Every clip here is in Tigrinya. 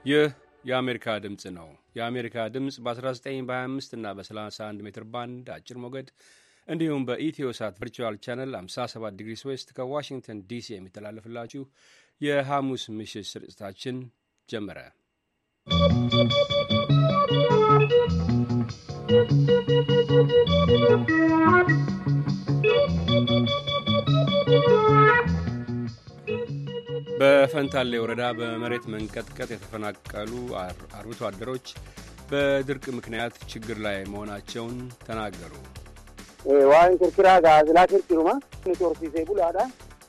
ይህ የአሜሪካ ድምፅ ነው። የአሜሪካ ድምፅ በ19፣ በ25 እና በ31 ሜትር ባንድ አጭር ሞገድ እንዲሁም በኢትዮ ሳት ቨርቹዋል ቻነል 57 ዲግሪ ዌስት ከዋሽንግተን ዲሲ የሚተላለፍላችሁ የሐሙስ ምሽት ስርጭታችን ጀመረ። በፈንታሌ ወረዳ በመሬት መንቀጥቀጥ የተፈናቀሉ አር-፣ አርብቶ አደሮች በድርቅ ምክንያት ችግር ላይ መሆናቸውን ተናገሩ። Waan kirkiraa gaazilaa kirkiruma nuti horsiisee bulaadha.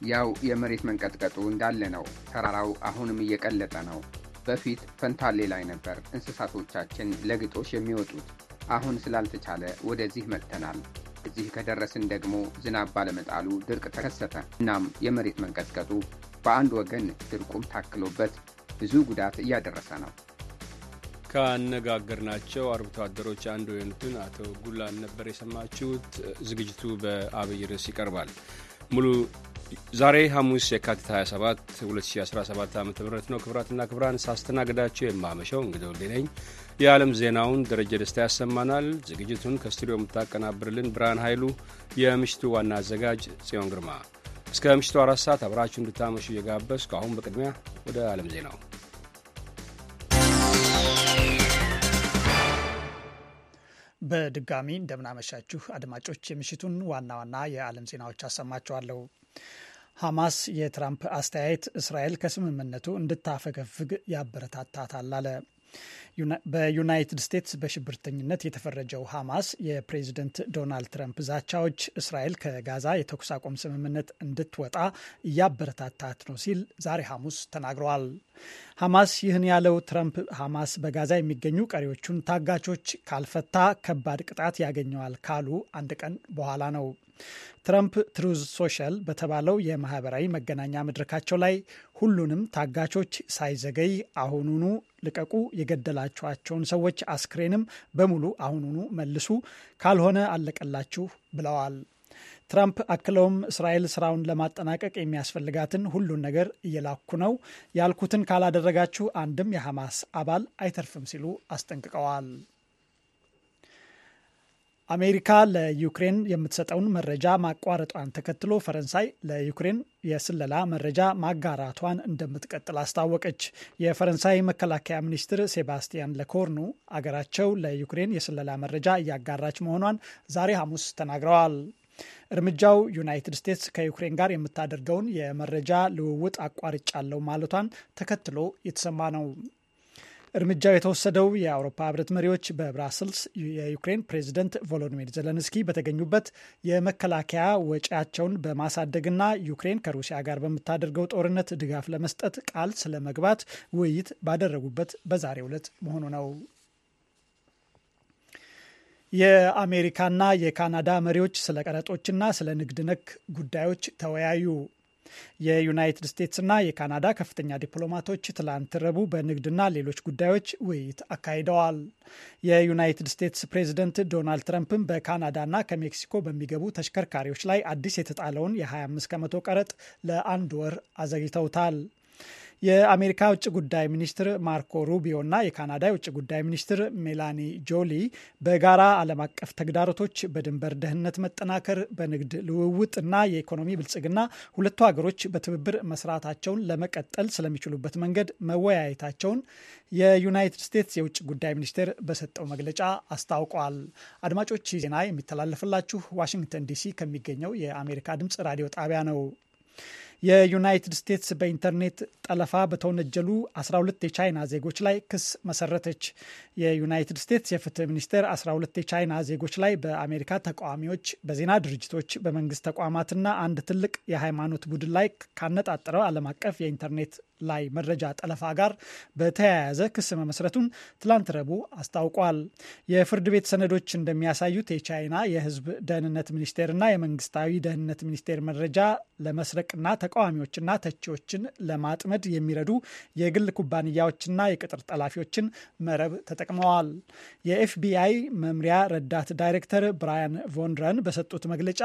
ያው የመሬት መንቀጥቀጡ እንዳለ ነው። ተራራው አሁንም እየቀለጠ ነው። በፊት ፈንታሌ ላይ ነበር እንስሳቶቻችን ለግጦሽ የሚወጡት። አሁን ስላልተቻለ ወደዚህ መጥተናል። እዚህ ከደረስን ደግሞ ዝናብ ባለመጣሉ ድርቅ ተከሰተ። እናም የመሬት መንቀጥቀጡ በአንድ ወገን ድርቁም ታክሎበት ብዙ ጉዳት እያደረሰ ነው። ካነጋገርናቸው አርብቶ አደሮች አንዱ የሆኑትን አቶ ጉላን ነበር የሰማችሁት። ዝግጅቱ በአብይ ርዕስ ይቀርባል። ሙሉ ዛሬ ሐሙስ የካቲት 27 2017 ዓ.ም ነው። ክቡራትና ክቡራን፣ ሳስተናግዳችሁ የማመሸው እንግዲህ ወልዴ ነኝ። የዓለም ዜናውን ደረጀ ደስታ ያሰማናል። ዝግጅቱን ከስቱዲዮ የምታቀናብርልን ብርሃን ኃይሉ፣ የምሽቱ ዋና አዘጋጅ ጽዮን ግርማ። እስከ ምሽቱ አራት ሰዓት አብራችሁ እንድታመሹ እየጋበዝኩ አሁን በቅድሚያ ወደ ዓለም ዜናው። በድጋሚ እንደምናመሻችሁ አድማጮች፣ የምሽቱን ዋና ዋና የዓለም ዜናዎች አሰማችኋለሁ። ሐማስ የትራምፕ አስተያየት እስራኤል ከስምምነቱ እንድታፈገፍግ ያበረታታታል አለ። ዩና-፣ በዩናይትድ ስቴትስ በሽብርተኝነት የተፈረጀው ሐማስ የፕሬዝደንት ዶናልድ ትራምፕ ዛቻዎች እስራኤል ከጋዛ የተኩስ አቁም ስምምነት እንድትወጣ እያበረታታት ነው ሲል ዛሬ ሐሙስ ተናግሯል። ሐማስ ይህን ያለው ትራምፕ ሐማስ በጋዛ የሚገኙ ቀሪዎቹን ታጋቾች ካልፈታ ከባድ ቅጣት ያገኘዋል ካሉ አንድ ቀን በኋላ ነው። ትራምፕ ትሩዝ ሶሻል በተባለው የማህበራዊ መገናኛ መድረካቸው ላይ ሁሉንም ታጋቾች ሳይዘገይ አሁኑኑ ልቀቁ፣ የገደላችኋቸውን ሰዎች አስክሬንም በሙሉ አሁኑኑ መልሱ፣ ካልሆነ አለቀላችሁ ብለዋል። ትራምፕ አክለውም እስራኤል ስራውን ለማጠናቀቅ የሚያስፈልጋትን ሁሉን ነገር እየላኩ ነው፣ ያልኩትን ካላደረጋችሁ አንድም የሐማስ አባል አይተርፍም ሲሉ አስጠንቅቀዋል። አሜሪካ ለዩክሬን የምትሰጠውን መረጃ ማቋረጧን ተከትሎ ፈረንሳይ ለዩክሬን የስለላ መረጃ ማጋራቷን እንደምትቀጥል አስታወቀች። የፈረንሳይ መከላከያ ሚኒስትር ሴባስቲያን ለኮርኑ አገራቸው ለዩክሬን የስለላ መረጃ እያጋራች መሆኗን ዛሬ ሐሙስ ተናግረዋል። እርምጃው ዩናይትድ ስቴትስ ከዩክሬን ጋር የምታደርገውን የመረጃ ልውውጥ አቋርጫለሁ ማለቷን ተከትሎ የተሰማ ነው። እርምጃው የተወሰደው የአውሮፓ ህብረት መሪዎች በብራስልስ የዩክሬን ፕሬዝደንት ቮሎዲሚር ዘለንስኪ በተገኙበት የመከላከያ ወጪያቸውን በማሳደግና ዩክሬን ከሩሲያ ጋር በምታደርገው ጦርነት ድጋፍ ለመስጠት ቃል ስለመግባት ውይይት ባደረጉበት በዛሬው ዕለት መሆኑ ነው። የአሜሪካና የካናዳ መሪዎች ስለ ቀረጦችና ስለ ንግድ ነክ ጉዳዮች ተወያዩ። የዩናይትድ ስቴትስና የካናዳ ከፍተኛ ዲፕሎማቶች ትላንት ረቡዕ በንግድና ሌሎች ጉዳዮች ውይይት አካሂደዋል። የዩናይትድ ስቴትስ ፕሬዝደንት ዶናልድ ትራምፕም በካናዳና ከሜክሲኮ በሚገቡ ተሽከርካሪዎች ላይ አዲስ የተጣለውን የ25% ቀረጥ ለአንድ ወር አዘግይተውታል። የአሜሪካ ውጭ ጉዳይ ሚኒስትር ማርኮ ሩቢዮ እና የካናዳ የውጭ ጉዳይ ሚኒስትር ሜላኒ ጆሊ በጋራ ዓለም አቀፍ ተግዳሮቶች፣ በድንበር ደህንነት መጠናከር፣ በንግድ ልውውጥ እና የኢኮኖሚ ብልጽግና ሁለቱ ሀገሮች በትብብር መስራታቸውን ለመቀጠል ስለሚችሉበት መንገድ መወያየታቸውን የዩናይትድ ስቴትስ የውጭ ጉዳይ ሚኒስቴር በሰጠው መግለጫ አስታውቋል። አድማጮች፣ ይህ ዜና የሚተላለፍላችሁ ዋሽንግተን ዲሲ ከሚገኘው የአሜሪካ ድምፅ ራዲዮ ጣቢያ ነው። የዩናይትድ ስቴትስ በኢንተርኔት ጠለፋ በተወነጀሉ 12 የቻይና ዜጎች ላይ ክስ መሰረተች። የዩናይትድ ስቴትስ የፍትህ ሚኒስቴር 12 የቻይና ዜጎች ላይ በአሜሪካ ተቃዋሚዎች፣ በዜና ድርጅቶች፣ በመንግስት ተቋማትና አንድ ትልቅ የሃይማኖት ቡድን ላይ ካነጣጠረው ዓለም አቀፍ የኢንተርኔት ላይ መረጃ ጠለፋ ጋር በተያያዘ ክስ መመስረቱን ትላንት ረቡዕ አስታውቋል። የፍርድ ቤት ሰነዶች እንደሚያሳዩት የቻይና የህዝብ ደህንነት ሚኒስቴርና የመንግስታዊ ደህንነት ሚኒስቴር መረጃ ለመስረቅና ተቃዋሚዎችና ተቺዎችን ለማጥመድ የሚረዱ የግል ኩባንያዎችና የቅጥር ጠላፊዎችን መረብ ተጠቅመዋል። የ FBI መምሪያ ረዳት ዳይሬክተር ብራያን ቮንድረን በሰጡት መግለጫ፣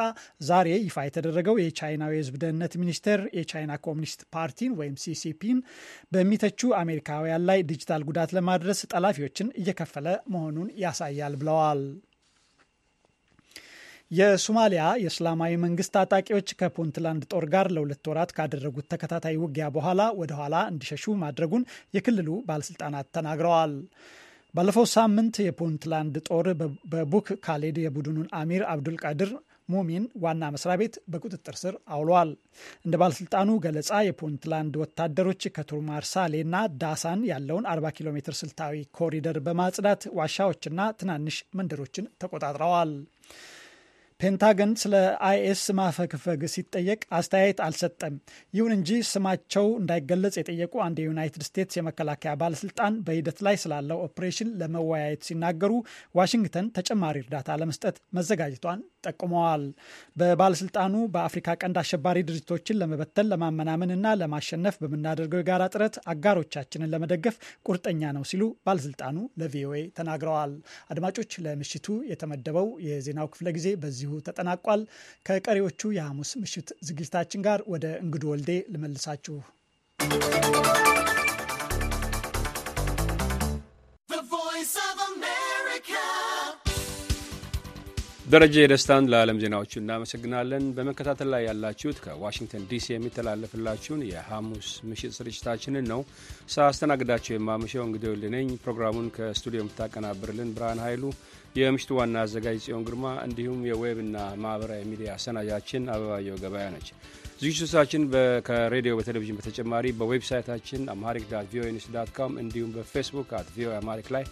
ዛሬ ይፋ የተደረገው የቻይናው የህዝብ ደህንነት ሚኒስቴር የቻይና ኮሚኒስት ፓርቲን ወይም CCP ፊሊፒን በሚተቹ አሜሪካውያን ላይ ዲጂታል ጉዳት ለማድረስ ጠላፊዎችን እየከፈለ መሆኑን ያሳያል ብለዋል። የሶማሊያ የእስላማዊ መንግስት ታጣቂዎች ከፑንትላንድ ጦር ጋር ለሁለት ወራት ካደረጉት ተከታታይ ውጊያ በኋላ ወደ ኋላ እንዲሸሹ ማድረጉን የክልሉ ባለስልጣናት ተናግረዋል። ባለፈው ሳምንት የፑንትላንድ ጦር በ- በቡክ ካሌድ የቡድኑን አሚር አብዱልቃድር ሙሚን ዋና መስሪያ ቤት በቁጥጥር ስር አውሏል። እንደ ባለስልጣኑ ገለጻ የፑንትላንድ ወታደሮች ከቱርማርሳሌና ዳሳን ያለውን አርባ ኪሎ ሜትር ስልታዊ ኮሪደር በማጽዳት ዋሻዎችና ትናንሽ መንደሮችን ተቆጣጥረዋል። ፔንታገን ስለ አይኤስ ማፈግፈግ ሲጠየቅ አስተያየት አልሰጠም። ይሁን እንጂ ስማቸው እንዳይገለጽ የጠየቁ አንድ የዩናይትድ ስቴትስ የመከላከያ ባለስልጣን በሂደት ላይ ስላለው ኦፕሬሽን ለመወያየት ሲናገሩ ዋሽንግተን ተጨማሪ እርዳታ ለመስጠት መዘጋጀቷን ጠቁመዋል። በባለስልጣኑ በአፍሪካ ቀንድ አሸባሪ ድርጅቶችን ለመበተን ለማመናመንና ለማሸነፍ በምናደርገው የጋራ ጥረት አጋሮቻችንን ለመደገፍ ቁርጠኛ ነው ሲሉ ባለስልጣኑ ለቪኦኤ ተናግረዋል። አድማጮች፣ ለምሽቱ የተመደበው የዜናው ክፍለ ጊዜ በዚሁ ተጠናቋል። ከቀሪዎቹ የሐሙስ ምሽት ዝግጅታችን ጋር ወደ እንግዱ ወልዴ ልመልሳችሁ። ደረጀ ደስታን ለዓለም ዜናዎቹ እናመሰግናለን። በመከታተል ላይ ያላችሁት ከዋሽንግተን ዲሲ የሚተላለፍላችሁን የሐሙስ ምሽት ስርጭታችንን ነው። ሳስተናግዳችሁ የማመሸው እንግዲህ ወልድ ነኝ። ፕሮግራሙን ከስቱዲዮ የምታቀናብርልን ብርሃን ኃይሉ፣ የምሽቱ ዋና አዘጋጅ ጽዮን ግርማ እንዲሁም የዌብና ማህበራዊ ሚዲያ አሰናጃችን አበባየው ገበያ ነች። ዝግጅቶቻችን በ- ከሬዲዮ በቴሌቪዥን በተጨማሪ በዌብሳይታችን amharic dot voa news dot com እንዲሁም በፌስቡክ at voa amharic ላይ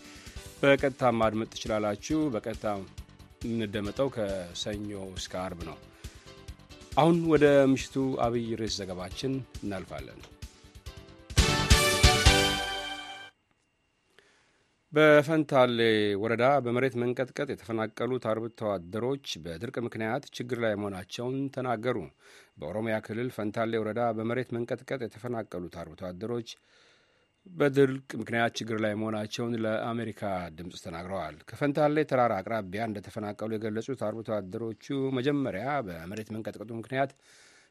በቀጥታ ማድመጥ ትችላላችሁ። በቀጥታ የምንደመጠው ከሰኞ እስከ አርብ ነው። አሁን ወደ ምሽቱ አብይ ርዕስ ዘገባችን እናልፋለን። በፈንታሌ ወረዳ በመሬት መንቀጥቀጥ የተፈናቀሉት አርብቶ አደሮች በድርቅ ምክንያት ችግር ላይ መሆናቸውን ተናገሩ። በኦሮሚያ ክልል ፈንታሌ ወረዳ በመሬት መንቀጥቀጥ የተፈናቀሉት አርብቶ አደሮች በድርቅ ምክንያት ችግር ላይ መሆናቸውን ለአሜሪካ ድምፅ ተናግረዋል። ከፈንታሌ ተራራ አቅራቢያ እንደተፈናቀሉ የገለጹት አርብቶ አደሮቹ መጀመሪያ በመሬት መንቀጥቀጡ ምክንያት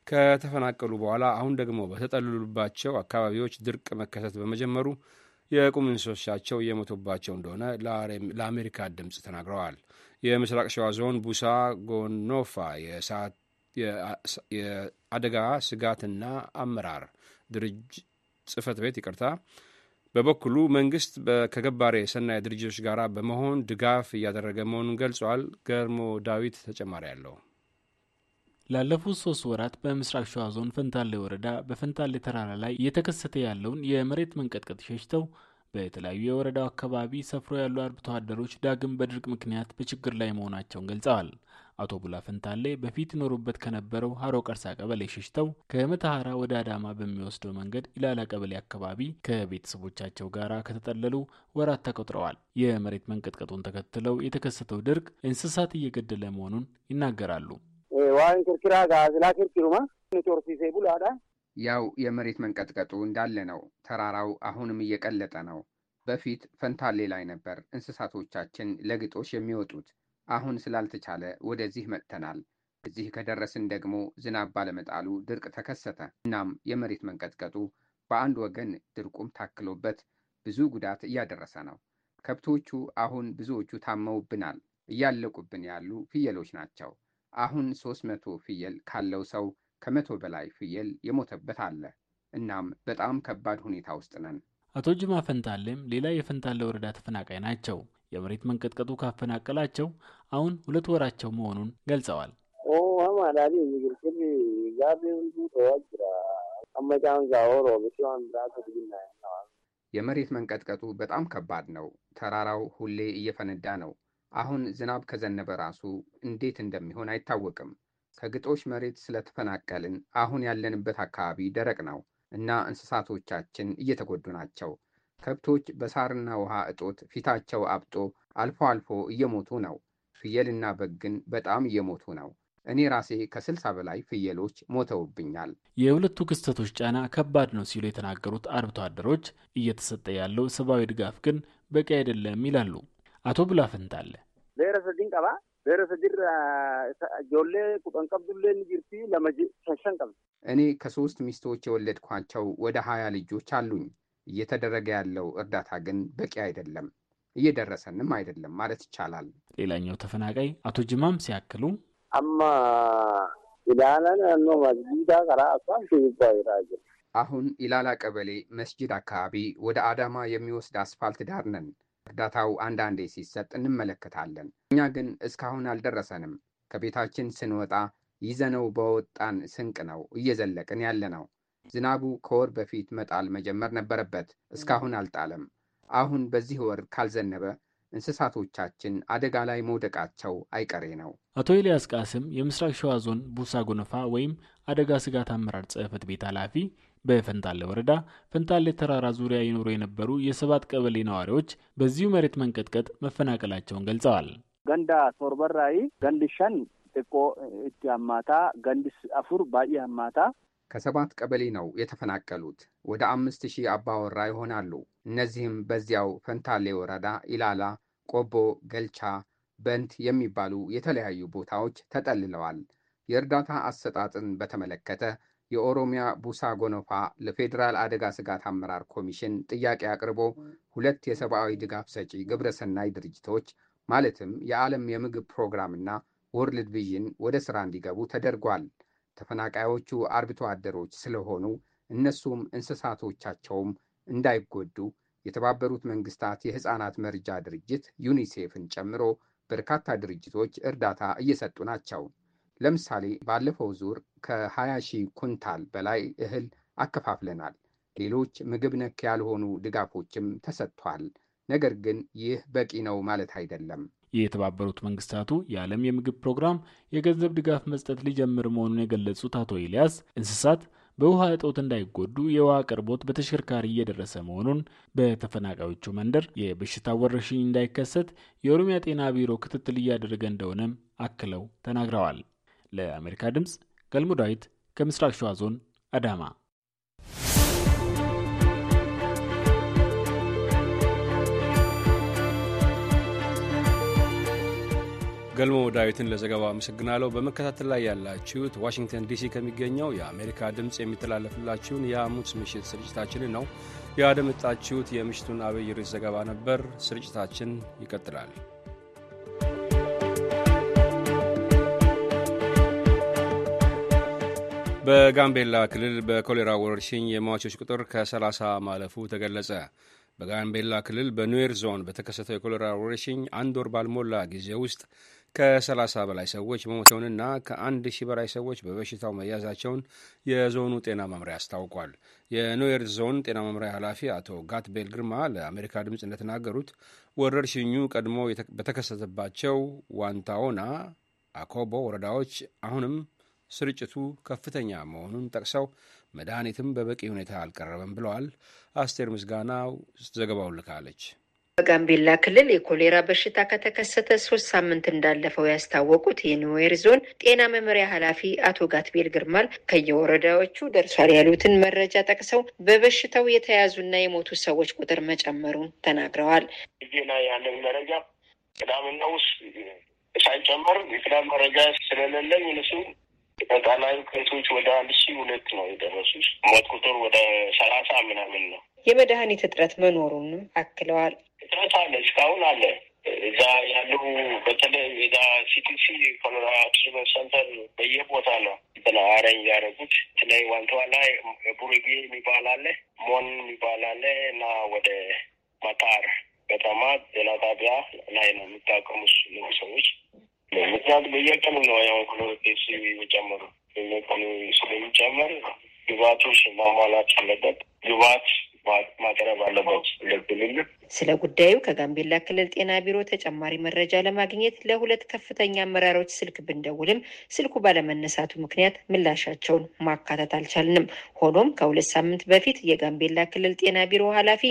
ከተፈናቀሉ በኋላ አሁን ደግሞ በተጠለሉባቸው አካባቢዎች ድርቅ መከሰት በመጀመሩ የቁም እንስሶቻቸው እየሞቱባቸው እንደሆነ ለአሜሪካ ድምፅ ተናግረዋል። የምስራቅ ሸዋ ዞን ቡሳ ጎኖፋ የእሳት የአደጋ ስጋትና አመራር ድርጅ ጽህፈት ቤት ይቅርታ በበኩሉ መንግስት ከገባሬ ሰናይ ድርጅቶች ጋር በመሆን ድጋፍ እያደረገ መሆኑን ገልጿል። ገርሞ ዳዊት ተጨማሪ አለው። ላለፉት ሶስት ወራት በምስራቅ ሸዋ ዞን ፈንታሌ ወረዳ በፈንታሌ ተራራ ላይ እየተከሰተ ያለውን የመሬት መንቀጥቀጥ ሸሽተው በተለያዩ የወረዳው አካባቢ ሰፍሮ ያሉ አርብቶ አደሮች ዳግም በድርቅ ምክንያት በችግር ላይ መሆናቸውን ገልጸዋል። አቶ ቡላ ፈንታሌ በፊት ይኖሩበት ከነበረው ሀሮ ቀርሳ ቀበሌ ሸሽተው ከመተሐራ ወደ አዳማ በሚወስደው መንገድ ኢላላ ቀበሌ አካባቢ ከቤተሰቦቻቸው ጋር ከተጠለሉ ወራት ተቆጥረዋል። የመሬት መንቀጥቀጡን ተከትለው የተከሰተው ድርቅ እንስሳት እየገደለ መሆኑን ይናገራሉ። Waan kirkiraa gaazilaa kirkiruma nuti horsiisee bulaadha. ያው የመሬት መንቀጥቀጡ እንዳለ ነው። ተራራው አሁንም እየቀለጠ ነው። በፊት ፈንታሌ ላይ ነበር እንስሳቶቻችን ለግጦሽ የሚወጡት። አሁን ስላልተቻለ ወደዚህ መጥተናል። እዚህ ከደረስን ደግሞ ዝናብ ባለመጣሉ ድርቅ ተከሰተ። እናም የመሬት መንቀጥቀጡ በአንድ ወገን ድርቁም ታክሎበት ብዙ ጉዳት እያደረሰ ነው። ከብቶቹ አሁን ብዙዎቹ ታመውብናል። እያለቁብን ያሉ ፍየሎች ናቸው። አሁን ሶስት መቶ ፍየል ካለው ሰው ከመቶ በላይ ፍየል የሞተበት አለ። እናም በጣም ከባድ ሁኔታ ውስጥ ነን። አቶ ጅማ ፈንታሌም ሌላ የፈንታሌ ወረዳ ተፈናቃይ ናቸው። የመሬት መንቀጥቀጡ ካፈናቀላቸው አሁን ሁለት ወራቸው መሆኑን ገልጸዋል። Uumamaa daadhiin biqiltoonni gaarri hunduu ta'aa jira. Amma caan gaa'oo roobisee waan biraa gadi binnaa'e. የመሬት መንቀጥቀጡ በጣም ከባድ ነው። ተራራው ሁሌ እየፈነዳ ነው። አሁን ዝናብ ከዘነበ ራሱ እንዴት እንደሚሆን አይታወቅም። ከግጦሽ መሬት ስለተፈናቀልን አሁን ያለንበት አካባቢ ደረቅ ነው እና እንስሳቶቻችን እየተጎዱ ናቸው። ከብቶች በሳርና ውሃ እጦት ፊታቸው አብጦ አልፎ አልፎ እየሞቱ ነው። ፍየልና በግ ግን በጣም እየሞቱ ነው። እኔ ራሴ ከስልሳ በላይ ፍየሎች ሞተውብኛል። የሁለቱ ክስተቶች ጫና ከባድ ነው ሲሉ የተናገሩት አርብቶ አደሮች እየተሰጠ ያለው ሰብአዊ ድጋፍ ግን በቂ አይደለም ይላሉ። አቶ ቡላ ፈንታለ Beera sadiin qaba. Beera sadirra ijoollee kudhan qabdullee ni jirti, lama shan qabdi. እኔ ከሶስት ሚስቶች የወለድኳቸው ወደ ሀያ ልጆች አሉኝ። እየተደረገ ያለው እርዳታ ግን በቂ አይደለም፣ እየደረሰንም አይደለም ማለት ይቻላል። ሌላኛው ተፈናቃይ አቶ ጅማም ሲያክሉ፣ amma ilaala naannoo masjiidaa karaa asfaaltii gubbaa jiraa jiru. አሁን ኢላላ ቀበሌ መስጂድ አካባቢ ወደ አዳማ የሚወስድ አስፋልት ዳር ነን። እርዳታው አንዳንዴ ሲሰጥ እንመለከታለን። እኛ ግን እስካሁን አልደረሰንም። ከቤታችን ስንወጣ ይዘነው በወጣን ስንቅ ነው እየዘለቅን ያለነው። ዝናቡ ከወር በፊት መጣል መጀመር ነበረበት፣ እስካሁን አልጣለም። አሁን በዚህ ወር ካልዘነበ እንስሳቶቻችን አደጋ ላይ መውደቃቸው አይቀሬ ነው። አቶ ኤልያስ ቃስም የምስራቅ ሸዋ ዞን ቡሳ ጎነፋ ወይም አደጋ ስጋት አመራር ጽሕፈት ቤት ኃላፊ፣ በፈንታሌ ወረዳ ፈንታሌ ተራራ ዙሪያ ይኖሩ የነበሩ የሰባት ቀበሌ ነዋሪዎች በዚሁ መሬት መንቀጥቀጥ መፈናቀላቸውን ገልጸዋል። Ganda torbarraayi gandi shan xiqqoo itti hammaataa, gandi afur baay'ee hammaataa. ከሰባት ቀበሌ ነው የተፈናቀሉት። ወደ አምስት ሺህ አባወራ ይሆናሉ። እነዚህም በዚያው ፈንታሌ ወረዳ ኢላላ፣ ቆቦ፣ ገልቻ፣ በንት የሚባሉ የተለያዩ ቦታዎች ተጠልለዋል። የእርዳታ አሰጣጥን በተመለከተ የኦሮሚያ ቡሳ ጎኖፋ ለፌዴራል አደጋ ስጋት አመራር ኮሚሽን ጥያቄ አቅርቦ ሁለት የሰብአዊ ድጋፍ ሰጪ ግብረሰናይ ድርጅቶች ማለትም የዓለም የምግብ ፕሮግራምና ወርልድ ቪዥን ወደ ስራ እንዲገቡ ተደርጓል። ተፈናቃዮቹ አርብቶ አደሮች ስለሆኑ እነሱም እንስሳቶቻቸውም እንዳይጎዱ የተባበሩት መንግስታት የህፃናት መርጃ ድርጅት ዩኒሴፍን ጨምሮ በርካታ ድርጅቶች እርዳታ እየሰጡ ናቸው። ለምሳሌ ባለፈው ዙር ከ20 ሺህ ኩንታል በላይ እህል አከፋፍለናል። ሌሎች ምግብ ነክ ያልሆኑ ድጋፎችም ተሰጥቷል። ነገር ግን ይህ በቂ ነው ማለት አይደለም። የተባበሩት መንግስታቱ የዓለም የምግብ ፕሮግራም የገንዘብ ድጋፍ መስጠት ሊጀምር መሆኑን የገለጹት አቶ ኤልያስ፣ እንስሳት በውሃ እጦት እንዳይጎዱ የውሃ አቅርቦት በተሽከርካሪ እየደረሰ መሆኑን፣ በተፈናቃዮቹ መንደር የበሽታ ወረርሽኝ እንዳይከሰት የኦሮሚያ ጤና ቢሮ ክትትል እያደረገ እንደሆነም አክለው ተናግረዋል። ለአሜሪካ ድምፅ ገልሞ ዳዊት ከምስራቅ ሸዋ ዞን አዳማ። ገልሞ ዳዊትን ለዘገባው አመሰግናለሁ። በመከታተል ላይ ያላችሁት ዋሽንግተን ዲሲ ከሚገኘው የአሜሪካ ድምፅ የሚተላለፍላችሁን የሐሙስ ምሽት ስርጭታችንን ነው። ያደመጣችሁት የምሽቱን አብይ ርዕስ ዘገባ ነበር። ስርጭታችን ይቀጥላል። በጋምቤላ ክልል በኮሌራ ወረርሽኝ የሟቾች ቁጥር ከ30 ማለፉ ተገለጸ። በጋምቤላ ክልል በኑዌር ዞን በተከሰተው የኮሌራ ወረርሽኝ አንድ ወር ባልሞላ ጊዜ ውስጥ ከ30 በላይ ሰዎች መሞተውንና ከ1 ሺህ በላይ ሰዎች በበሽታው መያዛቸውን የዞኑ ጤና መምሪያ አስታውቋል። የኑዌር ዞን ጤና መምሪያ ኃላፊ አቶ ጋትቤል ግርማ ለአሜሪካ ድምፅ እንደተናገሩት፣ ወረርሽኙ ቀድሞ የተ-፣ በተከሰተባቸው ዋንታዎና አኮቦ ወረዳዎች አሁንም ስርጭቱ ከፍተኛ መሆኑን ጠቅሰው፣ መድኃኒትም በበቂ ሁኔታ አልቀረበም ብለዋል። አስቴር ምስጋናው ዘገባውን ልካለች። በጋምቤላ ክልል የኮሌራ በሽታ ከተከሰተ ሶስት ሳምንት እንዳለፈው ያስታወቁት የኑዌር ዞን ጤና መምሪያ ኃላፊ አቶ ጋትቤል ግርማል፣ ከየወረዳዎቹ ደርሷል ያሉትን መረጃ ጠቅሰው፣ በበሽታው የተያዙና የሞቱ ሰዎች ቁጥር መጨመሩን ተናግረዋል። እዚህ ላይ ያለን መረጃ ቅዳምና ውስጥ ሳይጨመር የቅዳም መረጃ ስለሌለኝ እነሱ አጠቃላይ ኬሶች ወደ 1,002 ነው የደረሱት። ሞት ቁጥር ወደ 30 ምናምን ነው። የመድኃኒት እጥረት መኖሩንም አክለዋል። እጥረት አለ፣ እስካሁን አለ። እዛ ያሉ በተለይ እዛ ሲቲሲ ኮሌራ ትሪትመንት ሰንተር በየቦታ ነው እንትን አረኝ ያደረጉት። በተለይ ዋንታዋ ላይ ቡሬጌ የሚባል አለ፣ ሞን የሚባል አለ እና ወደ መጣር ከተማ ጤና ጣቢያ ላይ ነው የሚታከሙት እነዚህ ሰዎች። ምክንያቱም በየቀኑ ነው ያው ኬዝ የሚጨምሩ። በየቀኑ ስለሚጨምር ግብአቶች ማሟላት አለበት። ግብአት ማ-፣ ማቅረብ አለበት እንደ ክልል። ስለ ጉዳዩ ከጋምቤላ ክልል ጤና ቢሮ ተጨማሪ መረጃ ለማግኘት ለሁለት ከፍተኛ አመራሮች ስልክ ብንደውልም፣ ስልኩ ባለመነሳቱ ምክንያት ምላሻቸውን ማካተት አልቻልንም። ሆኖም ከሁለት ሳምንት በፊት የጋምቤላ ክልል ጤና ቢሮ ኃላፊ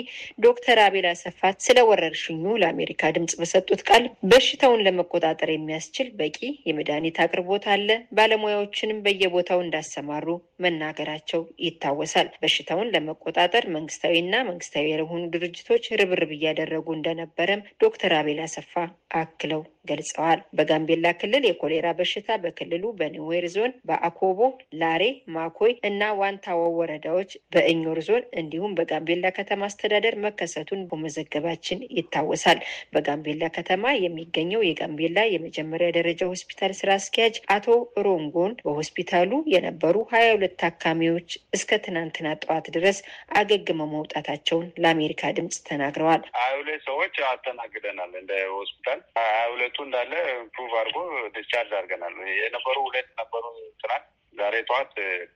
ዶክተር አቤል አሰፋ ስለ ወረርሽኙ ለአሜሪካ ድምፅ በሰጡት ቃል፣ በሽታውን ለመቆጣጠር የሚያስችል በቂ የመድኃኒት አቅርቦት አለ፣ ባለሙያዎችንም በየቦታው እንዳሰማሩ መናገራቸው ይታወሳል። በሽታውን ለመቆጣጠር መንግስታዊና መንግስታዊ ያልሆኑ ድርጅቶች ርብርብ እያደረጉ እንደነበረም ዶክተር አቤል አሰፋ አክለው ገልጸዋል። በጋምቤላ ክልል የኮሌራ በሽታ በክልሉ በኒዌር ዞን በአኮቦ፣ ላሬ፣ ማኮይ እና ዋንታዎ ወረዳዎች፣ በእኞር ዞን እንዲሁም በጋምቤላ ከተማ አስተዳደር መከሰቱን በመዘገባችን ይታወሳል። በጋምቤላ ከተማ የሚገኘው የጋምቤላ የመጀመሪያ ደረጃ ሆስፒታል ስራ አስኪያጅ አቶ ሮንጎን በሆስፒታሉ የነበሩ ሀያ ሁለት ታካሚዎች እስከ ትናንትና ጠዋት ድረስ አገግመው መውጣታቸውን ለአሜሪካ ድምጽ ተናግረዋል። ሀያ ሁለት ሰዎች አስተናግደናል እንደ ሆስፒታል። ሀያ ሁለቱ እንዳለ ፕሩቭ አድርጎ ዲስቻርጅ አድርገናል። የነበሩ ሁለት ነበሩ ትናንት። ዛሬ ጠዋት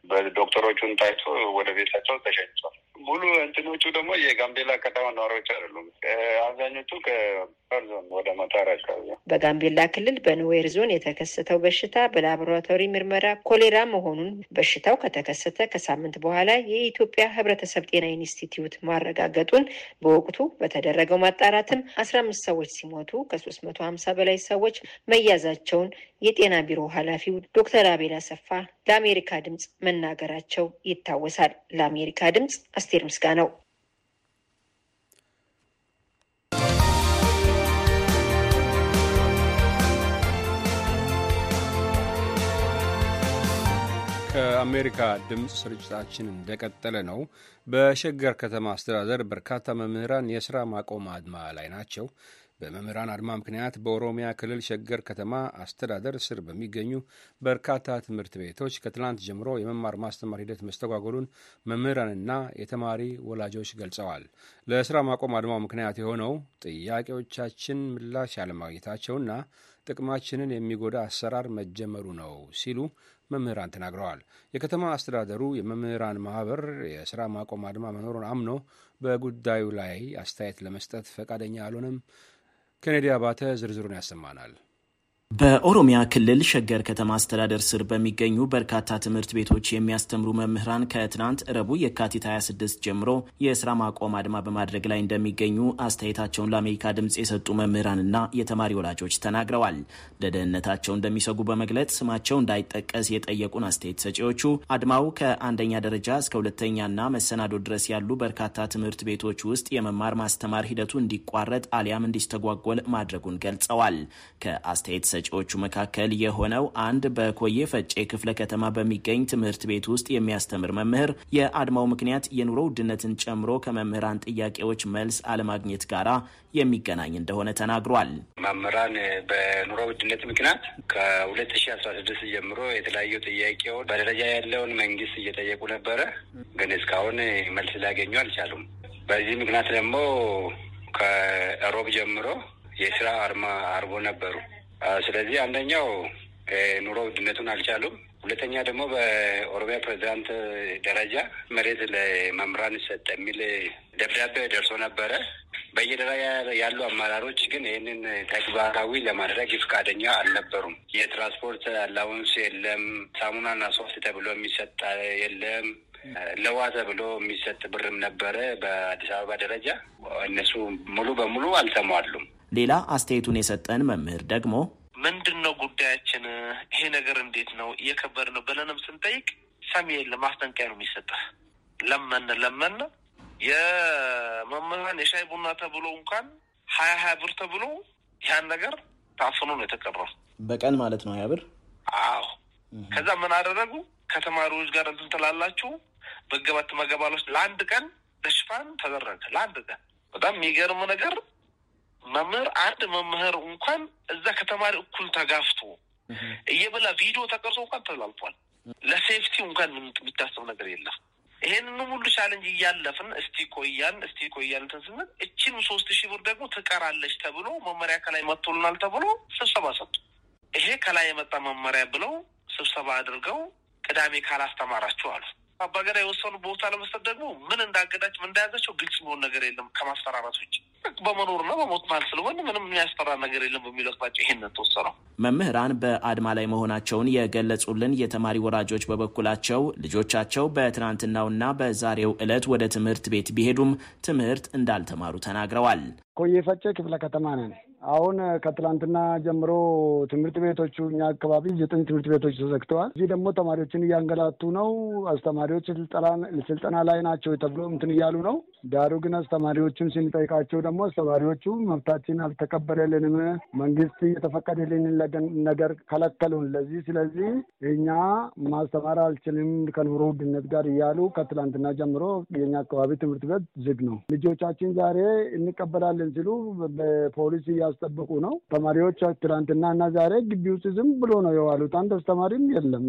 በዶክተሮቹን ታይቶ ወደ ቤታቸው ተሸኝቷል። ሙሉ እንትኖቹ ደግሞ የጋምቤላ ከተማ ነዋሪዎች አይደሉም። አብዛኞቹ ከ ዞን ወደ መታር አካባቢ። በጋምቤላ ክልል በኑዌር ዞን የተከሰተው በሽታ በላቦራቶሪ ምርመራ ኮሌራ መሆኑን በሽታው ከተከሰተ ከሳምንት በኋላ የኢትዮጵያ ሕብረተሰብ ጤና ኢንስቲትዩት ማረጋገጡን፣ በወቅቱ በተደረገው ማጣራትም አስራ አምስት ሰዎች ሲሞቱ ከ350 በላይ ሰዎች መያዛቸውን የጤና ቢሮ ኃላፊው ዶክተር አቤል አሰፋ ለአሜሪካ ድምጽ መናገራቸው ይታወሳል። ለአሜሪካ ድምጽ አስቴር ምስጋናው። ከአሜሪካ ድምፅ ስርጭታችን እንደቀጠለ ነው። በሸገር ከተማ አስተዳደር በርካታ መምህራን የስራ ማቆም አድማ ላይ ናቸው። በመምህራን አድማ ምክንያት በኦሮሚያ ክልል ሸገር ከተማ አስተዳደር ስር በሚገኙ በርካታ ትምህርት ቤቶች ከትላንት ጀምሮ የመማር ማስተማር ሂደት መስተጓጎሉን መምህራንና የተማሪ ወላጆች ገልጸዋል። ለስራ ማቆም አድማው ምክንያት የሆነው ጥያቄዎቻችን ምላሽ ያለማግኘታቸውና ጥቅማችንን የሚጎዳ አሰራር መጀመሩ ነው ሲሉ መምህራን ተናግረዋል። የከተማ አስተዳደሩ የመምህራን ማህበር የስራ ማቆም አድማ መኖሩን አምኖ በጉዳዩ ላይ አስተያየት ለመስጠት ፈቃደኛ አልሆነም። ኬኔዲ አባተ ዝርዝሩን ያሰማናል። በኦሮሚያ ክልል ሸገር ከተማ አስተዳደር ስር በሚገኙ በርካታ ትምህርት ቤቶች የሚያስተምሩ መምህራን ከትናንት ረቡዕ የካቲት ሃያ ስድስት ጀምሮ የስራ ማቆም አድማ በማድረግ ላይ እንደሚገኙ አስተያየታቸውን ለአሜሪካ ድምፅ የሰጡ መምህራንና የተማሪ ወላጆች ተናግረዋል። ለደህንነታቸው እንደሚሰጉ በመግለጽ ስማቸው እንዳይጠቀስ የጠየቁን አስተያየት ሰጪዎቹ አድማው ከአንደኛ ደረጃ እስከ ሁለተኛና መሰናዶ ድረስ ያሉ በርካታ ትምህርት ቤቶች ውስጥ የመማር ማስተማር ሂደቱ እንዲቋረጥ አሊያም እንዲስተጓጎል ማድረጉን ገልጸዋል። ከአስተያየት ሰጪዎቹ መካከል የሆነው አንድ በኮዬ ፈጬ ክፍለ ከተማ በሚገኝ ትምህርት ቤት ውስጥ የሚያስተምር መምህር የአድማው ምክንያት የኑሮ ውድነትን ጨምሮ ከመምህራን ጥያቄዎች መልስ አለማግኘት ጋራ የሚገናኝ እንደሆነ ተናግሯል። መምህራን በኑሮ ውድነት ምክንያት ከሁለት ሺ አስራ ስድስት ጀምሮ የተለያዩ ጥያቄዎች በደረጃ ያለውን መንግስት እየጠየቁ ነበረ፣ ግን እስካሁን መልስ ሊያገኙ አልቻሉም። በዚህ ምክንያት ደግሞ ከሮብ ጀምሮ የስራ አድማ አድርጎ ነበሩ። ስለዚህ አንደኛው ኑሮ ውድነቱን አልቻሉም። ሁለተኛ ደግሞ በኦሮሚያ ፕሬዚዳንት ደረጃ መሬት ለመምህራን ይሰጥ የሚል ደብዳቤ ደርሶ ነበረ። በየደረጃ ያሉ አመራሮች ግን ይህንን ተግባራዊ ለማድረግ ፈቃደኛ አልነበሩም። የትራንስፖርት አላውንስ የለም፣ ሳሙናና ሶፍት ተብሎ የሚሰጥ የለም፣ ለውሃ ተብሎ የሚሰጥ ብርም ነበረ በአዲስ አበባ ደረጃ። እነሱ ሙሉ በሙሉ አልተሟሉም። ሌላ አስተያየቱን የሰጠን መምህር ደግሞ ምንድን ነው ጉዳያችን? ይሄ ነገር እንዴት ነው? እየከበደ ነው ብለንም ስንጠይቅ ሰሚ የለም፣ ማስጠንቀቂያ ነው የሚሰጥህ። ለመን ለመን የመምህራን የሻይ ቡና ተብሎ እንኳን ሀያ ሀያ ብር ተብሎ ያን ነገር ታፍኖ ነው የተቀረው። በቀን ማለት ነው ሀያ ብር? አዎ። ከዛ ምን አደረጉ? ከተማሪዎች ጋር እንትን ትላላችሁ፣ መገባት ትመገባላችሁ። ለአንድ ቀን ለሽፋን ተደረገ። ለአንድ ቀን በጣም የሚገርም ነገር መምህር አንድ መምህር እንኳን እዛ ከተማሪ እኩል ተጋፍቶ እየበላ ቪዲዮ ተቀርጾ እንኳን ተላልፏል። ለሴፍቲ እንኳን የሚታሰብ ነገር የለም። ይሄንን ሁሉ ቻለንጅ እያለፍን እስቲ ቆያን እስቲ ቆያን እንትን ስንል እቺን ሶስት ሺህ ብር ደግሞ ትቀራለች ተብሎ መመሪያ ከላይ መጥቶልናል ተብሎ ስብሰባ ሰጡ። ይሄ ከላይ የመጣ መመሪያ ብለው ስብሰባ አድርገው ቅዳሜ ካላስተማራችሁ አሉ። አባገዳ የወሰኑ ቦታ ለመስጠት ደግሞ ምን እንዳገዳቸው ምን እንዳያዛቸው ግልጽ የሚሆን ነገር የለም ከማስፈራራት ውጭ። በመኖርና በሞት መሀል ስለሆነ ምንም የሚያስፈራ ነገር የለም በሚል አቅጣጫ ይሄን ተወሰነው። መምህራን በአድማ ላይ መሆናቸውን የገለጹልን የተማሪ ወላጆች በበኩላቸው ልጆቻቸው በትናንትናውና በዛሬው ዕለት ወደ ትምህርት ቤት ቢሄዱም ትምህርት እንዳልተማሩ ተናግረዋል። ኮዬ ፈጬ ክፍለ ከተማ ነን። አሁን ከትላንትና ጀምሮ ትምህርት ቤቶቹ፣ እኛ አካባቢ ዘጠኝ ትምህርት ቤቶች ተዘግተዋል። እዚህ ደግሞ ተማሪዎችን እያንገላቱ ነው። አስተማሪዎች ስልጠና፣ ስልጠና ላይ ናቸው ተብሎ እንትን እያሉ ነው። ዳሩ ግን አስተማሪዎቹን ስንጠይቃቸው ደግሞ አስተማሪዎቹ «መብታችን አልተከበረልንም፣ መንግስት የተፈቀደልንን ለገን-፣ ነገር ከለከሉን። ለዚህ፣ ስለዚህ እኛ ማስተማር አልችልም ከኑሮ ውድነት ጋር» እያሉ ከትላንትና ጀምሮ የኛ አካባቢ ትምህርት ቤት ዝግ ነው። ልጆቻችን ዛሬ እንቀበላለን ሲሉ በፖሊስ እያስጠበቁ ነው። ተማሪዎች ትላንትና እና ዛሬ ግቢ ውስጥ ዝም ብሎ ነው የዋሉት። አንድ አስተማሪም የለም።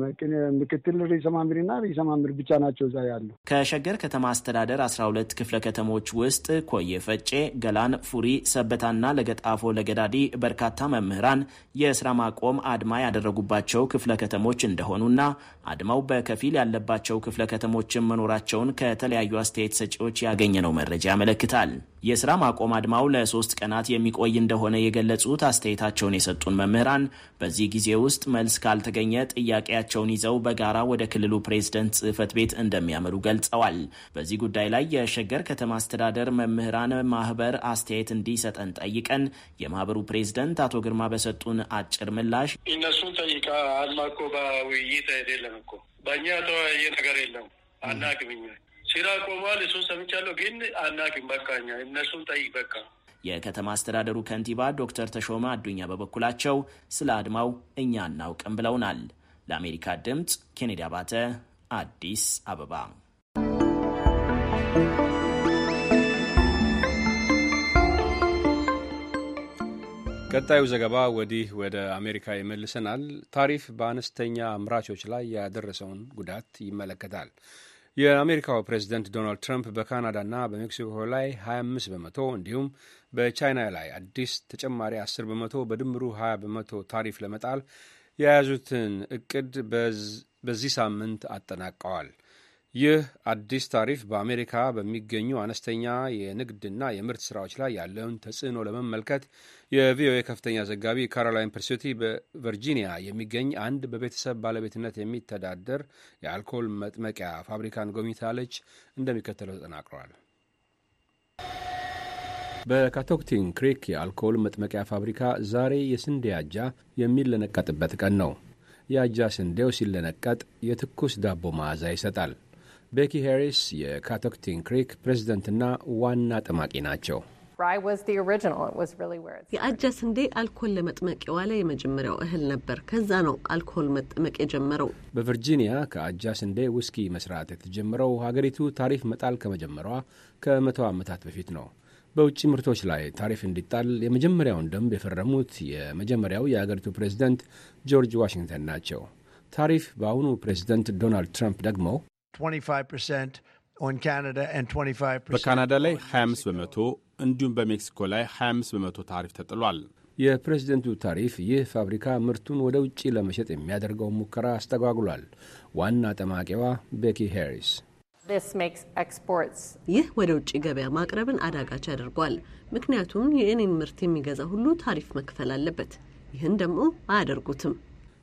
ምክትል ርዕሰ መምህርና ርዕሰ መምህር ብቻ ናቸው እዛ ያሉ። ከሸገር ከተማ አስተዳደር አስራ ሁለት ክፍለ ከተሞች ውስጥ ኮየ ፈጬ፣ ገላን፣ ፉሪ፣ ሰበታና ለገጣፎ ለገዳዲ በርካታ መምህራን የስራ ማቆም አድማ ያደረጉባቸው ክፍለ ከተሞች እንደሆኑና አድማው በከፊል ያለባቸው ክፍለ ከተሞችም መኖራቸውን ከተለያዩ አስተያየት ሰጪዎች ያገኘነው መረጃ ያመለክታል። የስራ ማቆም አድማው ለሶስት ቀናት የሚቆይ እንደሆነ የገለጹት አስተያየታቸውን የሰጡን መምህራን በዚህ ጊዜ ውስጥ መልስ ካልተገኘ ጥያቄያቸውን ይዘው በጋራ ወደ ክልሉ ፕሬዝደንት ጽህፈት ቤት እንደሚያመሩ ገልጸዋል። በዚህ ጉዳይ ላይ የሸገር ከተማ አስተዳደር መምህራን ማህበር አስተያየት እንዲሰጠን ጠይቀን የማህበሩ ፕሬዝደንት አቶ ግርማ በሰጡን አጭር ምላሽ «እነሱን ጠይቃ፣ አድማ እኮ በውይይት አይደለም እኮ፣ በእኛ የተወያየ ነገር የለም፣ አናቅም። እኛ ስራ ቆሟል፣ እሱን ሰምቻለሁ፣ ግን አናቅም። በቃ እኛ እነሱን ጠይቅ በቃ።» የከተማ አስተዳደሩ ከንቲባ ዶክተር ተሾመ አዱኛ በበኩላቸው ስለ አድማው እኛ አናውቅም ብለውናል። ለአሜሪካ ድምፅ ኬኔዲ አባተ፣ አዲስ አበባ። ቀጣዩ ዘገባ ወዲህ ወደ አሜሪካ ይመልሰናል። ታሪፍ በአነስተኛ አምራቾች ላይ ያደረሰውን ጉዳት ይመለከታል። የአሜሪካው ፕሬዝደንት ዶናልድ ትራምፕ በካናዳና በሜክሲኮ ላይ ሃያ አምስት በመቶ እንዲሁም በቻይና ላይ አዲስ ተጨማሪ አስር በመቶ፣ በድምሩ ሃያ በመቶ ታሪፍ ለመጣል የያዙትን እቅድ በዚህ ሳምንት አጠናቀዋል። ይህ አዲስ ታሪፍ በአሜሪካ በሚገኙ አነስተኛ የንግድና የምርት ስራዎች ላይ ያለውን ተጽዕኖ ለመመልከት የቪኦኤ ከፍተኛ ዘጋቢ ካሮላይን ፐርሱቲ በቨርጂኒያ የሚገኝ አንድ በቤተሰብ ባለቤትነት የሚተዳደር የአልኮል መጥመቂያ ፋብሪካን ጎብኝታለች። እንደሚከተለው ተጠናቅሯል። በካቶክቲን ክሪክ የአልኮል መጥመቂያ ፋብሪካ ዛሬ የስንዴ አጃ የሚለነቀጥበት ቀን ነው። የአጃ ስንዴው ሲለነቀጥ የትኩስ ዳቦ መዓዛ ይሰጣል። ቤኪ ሄሪስ የካቶክቲን ክሪክ ፕሬዝደንትና ዋና ጠማቂ ናቸው። Rye was the original. It was really where it started. የአጃ ስንዴ አልኮል ለመጥመቅ የዋለ የመጀመሪያው እህል ነበር። ከዛ ነው አልኮል መጠመቅ የጀመረው። በቨርጂኒያ ከአጃ ስንዴ ውስኪ መስራት የተጀመረው ሀገሪቱ ታሪፍ መጣል ከመጀመሯ ከመቶ ዓመታት በፊት ነው። በውጭ ምርቶች ላይ ታሪፍ እንዲጣል የመጀመሪያውን ደንብ የፈረሙት የመጀመሪያው የአገሪቱ ፕሬዝደንት ጆርጅ ዋሽንግተን ናቸው። ታሪፍ በአሁኑ ፕሬዝደንት ዶናልድ ትራምፕ ደግሞ twenty-five percent on Canada and twenty-five percent በካናዳ ላይ ሃያ አምስት በመቶ እንዲሁም በሜክሲኮ ላይ ሃያ አምስት በመቶ ታሪፍ ተጥሏል። የፕሬዝደንቱ ታሪፍ ይህ ፋብሪካ ምርቱን ወደ ውጭ ለመሸጥ የሚያደርገውን ሙከራ አስተጓጉሏል። ዋና ጠማቂዋ ቤኪ ሄሪስ This makes exports ይህ ወደ ውጭ ገበያ ማቅረብን አዳጋች ያደርገዋል። ምክንያቱም የእኔን ምርት የሚገዛ ሁሉ ታሪፍ መክፈል አለበት። ይህን ደግሞ አያደርጉትም።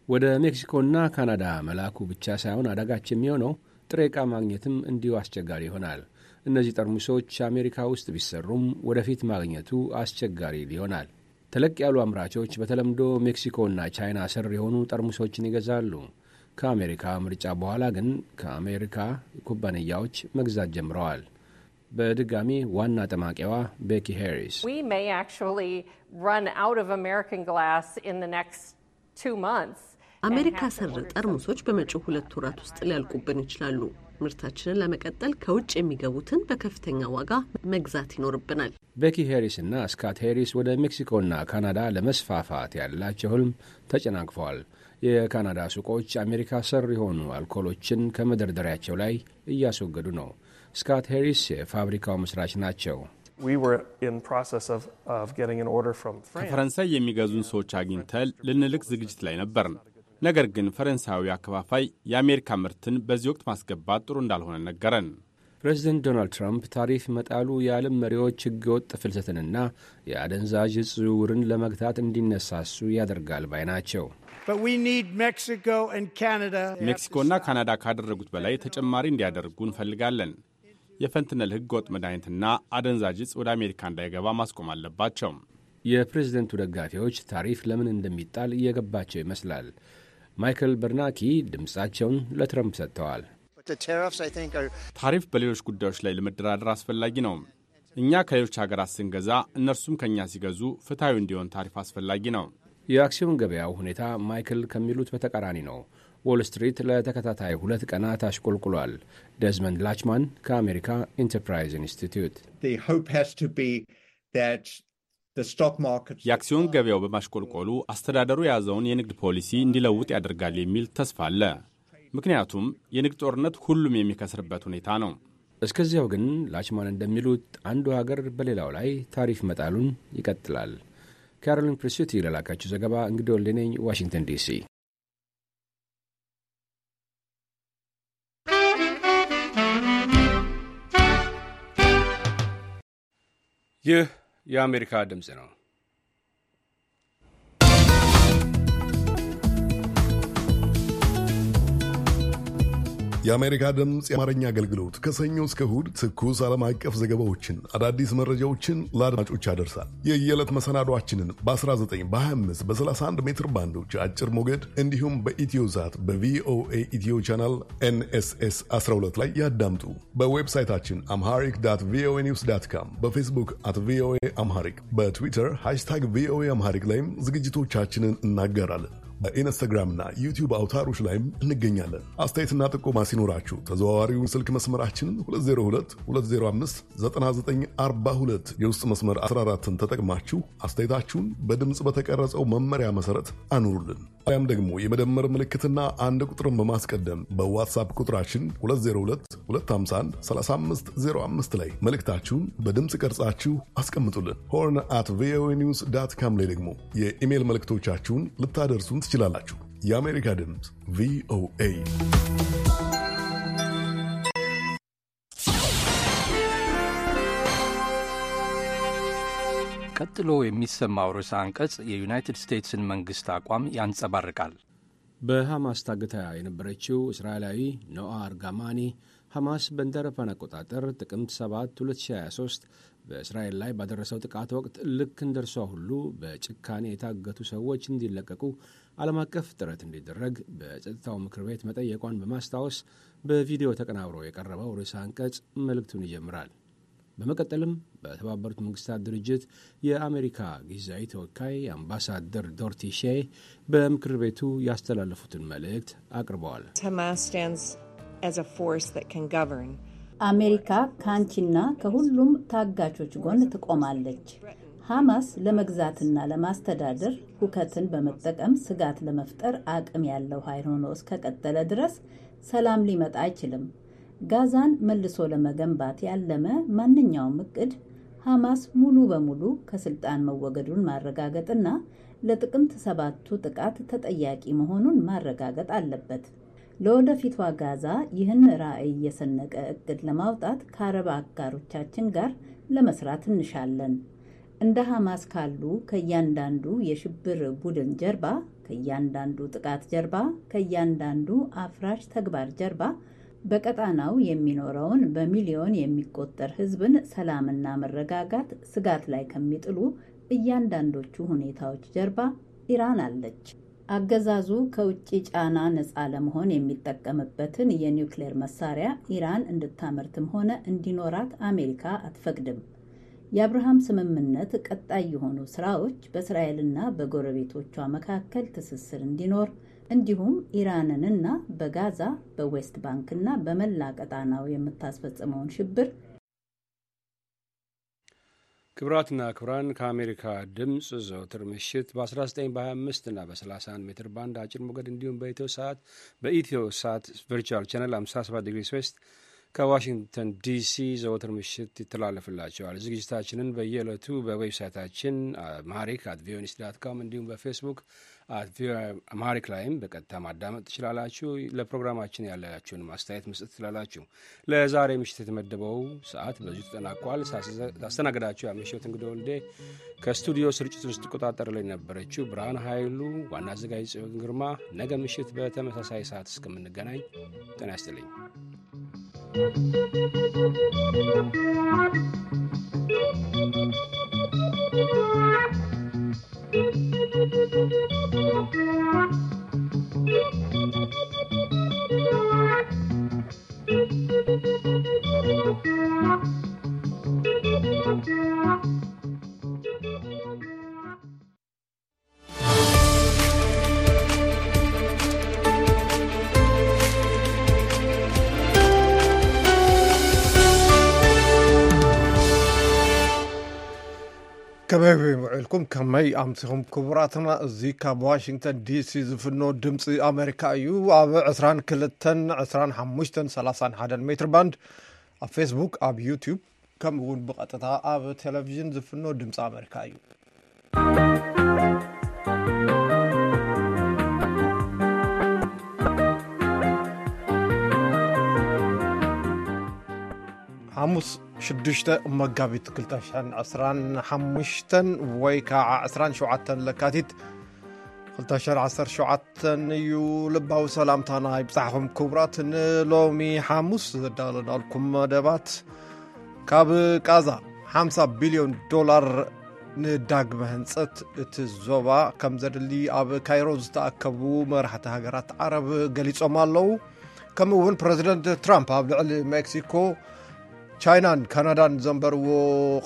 ወደ ሜክሲኮና ካናዳ መላኩ ብቻ ሳይሆን አዳጋች የሚሆነው ጥሬ ዕቃ ማግኘትም እንዲሁ አስቸጋሪ ይሆናል። እነዚህ ጠርሙሶች አሜሪካ ውስጥ ቢሰሩም ወደፊት ማግኘቱ አስቸጋሪ ይሆናል። ተለቅ ያሉ አምራቾች በተለምዶ ሜክሲኮና ቻይና ሰር የሆኑ ጠርሙሶችን ይገዛሉ። ከአሜሪካ ምርጫ በኋላ ግን ከአሜሪካ ኩባንያዎች መግዛት ጀምረዋል። በድጋሚ ዋና ጠማቂዋ ቤኪ ሄሪስ We may actually run out of American glass in the next two months. አሜሪካ ሰር ጠርሙሶች በመጪው ሁለት ወራት ውስጥ ሊያልቁብን ይችላሉ። ምርታችንን ለመቀጠል ከውጭ የሚገቡትን በከፍተኛ ዋጋ መግዛት ይኖርብናል። ቤኪ ሄሪስ እና ስካት ሄሪስ ወደ ሜክሲኮና ካናዳ ለመስፋፋት ያላቸው ህልም ተጨናግፈዋል። የካናዳ ሱቆች አሜሪካ ሰር የሆኑ አልኮሎችን ከመደርደሪያቸው ላይ እያስወገዱ ነው። ስካት ሄሪስ የፋብሪካው መስራች ናቸው። We were in process of, of getting an order from France. ከፈረንሳይ የሚገዙን ሰዎች አግኝተን ልንልክ ዝግጅት ላይ ነበርን። ነገር ግን ፈረንሳዊ አከፋፋይ የአሜሪካ ምርትን በዚህ ወቅት ማስገባት ጥሩ እንዳልሆነ ነገረን። ፕሬዚደንት ዶናልድ ትራምፕ ታሪፍ መጣሉ የዓለም መሪዎች ህገወጥ ፍልሰትንና የአደንዛዥ እጽ ዝውውርን ለመግታት እንዲነሳሱ ያደርጋል ባይ ናቸው። But we need Mexico and Canada. ሜክሲኮና ካናዳ ካደረጉት በላይ ተጨማሪ እንዲያደርጉ እንፈልጋለን። የፈንትነል ህገወጥ መድኃኒትና አደንዛዥ እጽ ወደ አሜሪካ እንዳይገባ ማስቆም አለባቸው። የፕሬዝደንቱ ደጋፊዎች ታሪፍ ለምን እንደሚጣል እየገባቸው ይመስላል። ማይክል በርናኪ ድምፃቸውን ለትረምፕ ሰጥተዋል። But the tariffs, I think, are ታሪፍ በሌሎች ጉዳዮች ላይ ለመደራደር አስፈላጊ ነው። እኛ ከሌሎች ሀገራት ስንገዛ፣ እነርሱም ከእኛ ሲገዙ ፍትሐዊ እንዲሆን ታሪፍ አስፈላጊ ነው። የአክሲዮን ገበያው ሁኔታ ማይክል ከሚሉት በተቃራኒ ነው። ዎል ስትሪት ለተከታታይ ሁለት ቀናት አሽቆልቁሏል። ደዝመንድ ላችማን ከአሜሪካ ኢንተርፕራይዝ ኢንስቲትዩት። The hope has to be that the stock market የአክሲዮን ገበያው በማሽቆልቆሉ አስተዳደሩ የያዘውን የንግድ ፖሊሲ እንዲለውጥ ያደርጋል የሚል ተስፋ አለ። ምክንያቱም የንግድ ጦርነት ሁሉም የሚከስርበት ሁኔታ ነው። እስከዚያው ግን ላችማን እንደሚሉት አንዱ ሀገር በሌላው ላይ ታሪፍ መጣሉን ይቀጥላል። ካሮሊን ፕሪሱቲ ለላካችሁ ዘገባ እንግዲህ ወልዴ ነኝ፣ ዋሽንግተን ዲሲ። ይህ የአሜሪካ ድምፅ ነው። የአሜሪካ ድምፅ የአማርኛ አገልግሎት ከሰኞ እስከ እሁድ ትኩስ ዓለም አቀፍ ዘገባዎችን፣ አዳዲስ መረጃዎችን ለአድማጮች ያደርሳል። የየዕለት መሰናዷችንን በ19፣ በ25፣ በ31 ሜትር ባንዶች አጭር ሞገድ እንዲሁም በኢትዮ ሳት በ ቪ ኦ ኤ ኢትዮ ቻናል ኤን ኤስ ኤስ 12 ላይ ያዳምጡ። በዌብሳይታችን amharic dot voa news dot com፣ በፌስቡክ at V O A Amharic፣ በትዊተር ሃሽታግ V O A Amharic ላይም ዝግጅቶቻችንን እናጋራለን። በኢንስታግራምና ዩቲዩብ አውታሮች ላይም እንገኛለን። አስተያየትና ጥቆማ ሲኖራችሁ ተዘዋዋሪውን ስልክ መስመራችንን ሁለት ዜሮ ሁለት፣ ሁለት ዜሮ አምስት፣ ዘጠና ዘጠኝ አርባ ሁለት የውስጥ መስመር አስራ አራትን ተጠቅማችሁ አስተያየታችሁን በድምፅ በተቀረጸው መመሪያ መሰረት አኑሩልን። አሊያም ደግሞ የመደመር ምልክትና አንድ ቁጥርን በማስቀደም በዋትሳፕ ቁጥራችን ሁለት ዜሮ ሁለት፣ ሁለት ሃምሳ አንድ፣ ሠላሳ አምስት ዜሮ አምስት ላይ መልእክታችሁን በድምፅ ቀርጻችሁ አስቀምጡልን። ሆርን at V O A news dot com ላይ ደግሞ የኢሜል መልእክቶቻችሁን ልታደርሱን ትችላላችሁ። የአሜሪካ ድምፅ V O A። ቀጥሎ የሚሰማው ርዕሰ አንቀጽ የዩናይትድ ስቴትስን መንግስት አቋም ያንጸባርቃል። በሐማስ ታግታ የነበረችው እስራኤላዊ ኖአ አርጋማኒ፣ ሐማስ በእንደ አውሮፓውያን አቆጣጠር ጥቅምት ሰባት ሁለት ሺህ ሃያ ሦስት በእስራኤል ላይ ባደረሰው ጥቃት ወቅት ልክ እንደርሷ ሁሉ በጭካኔ የታገቱ ሰዎች እንዲለቀቁ ዓለም አቀፍ ጥረት እንዲደረግ በጸጥታው ምክር ቤት መጠየቋን በማስታወስ፣ በቪዲዮ ተቀናብሮ የቀረበው ርዕሰ አንቀጽ መልእክቱን ይጀምራል። በመቀጠልም በተባበሩት መንግስታት ድርጅት የአሜሪካ ጊዜያዊ ተወካይ አምባሳደር ዶርቲ ሼ በምክር ቤቱ ያስተላለፉትን መልእክት አቅርበዋል። Hamas stands as a force that can govern. አሜሪካ ከአንቺና ከሁሉም ታጋቾች ጎን ትቆማለች። ሐማስ ለመግዛትና ለማስተዳደር ሁከትን በመጠቀም ስጋት ለመፍጠር አቅም ያለው ኃይል ሆኖ እስከቀጠለ ድረስ ሰላም ሊመጣ አይችልም። ጋዛን መልሶ ለመገንባት ያለመ ማንኛውም እቅድ ሐማስ ሙሉ በሙሉ ከስልጣን መወገዱን ማረጋገጥና ለጥቅምት ሰባቱ ጥቃት ተጠያቂ መሆኑን ማረጋገጥ አለበት። ለወደፊቷ ጋዛ ይህን ራዕይ የሰነቀ እቅድ ለማውጣት ከአረብ አጋሮቻችን ጋር ለመስራት እንሻለን። እንደ ሐማስ ካሉ ከእያንዳንዱ የሽብር ቡድን ጀርባ፣ ከእያንዳንዱ ጥቃት ጀርባ፣ ከእያንዳንዱ አፍራሽ ተግባር ጀርባ በቀጣናው የሚኖረውን በሚሊዮን የሚቆጠር ሕዝብን ሰላምና መረጋጋት ስጋት ላይ ከሚጥሉ እያንዳንዶቹ ሁኔታዎች ጀርባ ኢራን አለች። አገዛዙ ከውጭ ጫና ነፃ ለመሆን የሚጠቀምበትን የኒውክሌር መሳሪያ ኢራን እንድታመርትም ሆነ እንዲኖራት አሜሪካ አትፈቅድም። የአብርሃም ስምምነት ቀጣይ የሆኑ ስራዎች በእስራኤልና በጎረቤቶቿ መካከል ትስስር እንዲኖር፣ እንዲሁም ኢራንንና በጋዛ፣ በዌስት ባንክና በመላ ቀጣናው የምታስፈጽመውን ሽብር ክቡራትና ክቡራን፣ ከአሜሪካ ድምፅ ዘወትር ምሽት በ19፣ በ25 እና በ31 ሜትር ባንድ አጭር ሞገድ እንዲሁም በኢትዮ ሰዓት፣ በኢትዮ ሳት ቨርቹዋል ቻነል ሃምሳ ሰባት ዲግሪ ዌስት ከዋሽንግተን ዲሲ ዘወትር ምሽት ይተላለፍላችኋል። ዝግጅታችንን በየዕለቱ በዌብሳይታችን amharic at voanews dot com እንዲሁም በፌስቡክ at VOA Amharic ላይም በቀጥታ ማዳመጥ ትችላላችሁ። ለፕሮግራማችን ያላችሁን ማስተያየት መስጠት ትችላላችሁ። ለዛሬ ምሽት የተመደበው ሰዓት በዚሁ ተጠናቋል። ሳስ-፣ ሳስተናግዳችሁ ያመሸሁት እንግዲህ ወልዴ፣ ከስቱዲዮ ስርጭቱን ስትቆጣጠር ላይ ነበረችው ብርሃን ኃይሉ፣ ዋና አዘጋጅ ጽዮን ግርማ። ነገ ምሽት በተመሳሳይ ሰዓት እስከምንገናኝ ጤና ይስጥልኝ። ከመይ ውዒልኩም? ከመይ ኣምሲኹም ክቡራትና? እዚ ካብ ዋሽንግተን ዲሲ ዝፍኖ ድምፂ ኣሜሪካ እዩ። ኣብ ዕስራን ክልተን፣ ዕስራን ሓሙሽተን፣ ሰላሳን ሓደን ሜትር ባንድ፣ ኣብ ፌስቡክ፣ ኣብ ዩቲዩብ፣ ከምኡ እውን ብቐጥታ ኣብ ቴሌቪዥን ዝፍኖ ድምፂ ኣሜሪካ እዩ። ሓሙስ ሽዱሽተ መጋቢት ክልተ ሽሕን ዕስራን ሓሙሽተን ወይ ከዓ ዕስራን ሸውዓተን ለካቲት ክልተ ሽሕን ዓሰርተ ሸውዓተን እዩ። ልባዊ ሰላምታና ይብጻሕኹም ክቡራት። ንሎሚ ሓሙስ ዘዳለናልኩም መደባት፣ ካብ ቃዛ ሓምሳ ቢልዮን ዶላር ንዳግመ ህንጸት እቲ ዞባ ከም ዘድሊ ኣብ ካይሮ ዝተኣከቡ መራሕቲ ሃገራት ዓረብ ገሊጾም ኣለዉ። ከምኡ እውን ፕረዚደንት ትራምፕ ኣብ ልዕሊ ሜክሲኮ፣ ቻይናን ካናዳን ዘንበርዎ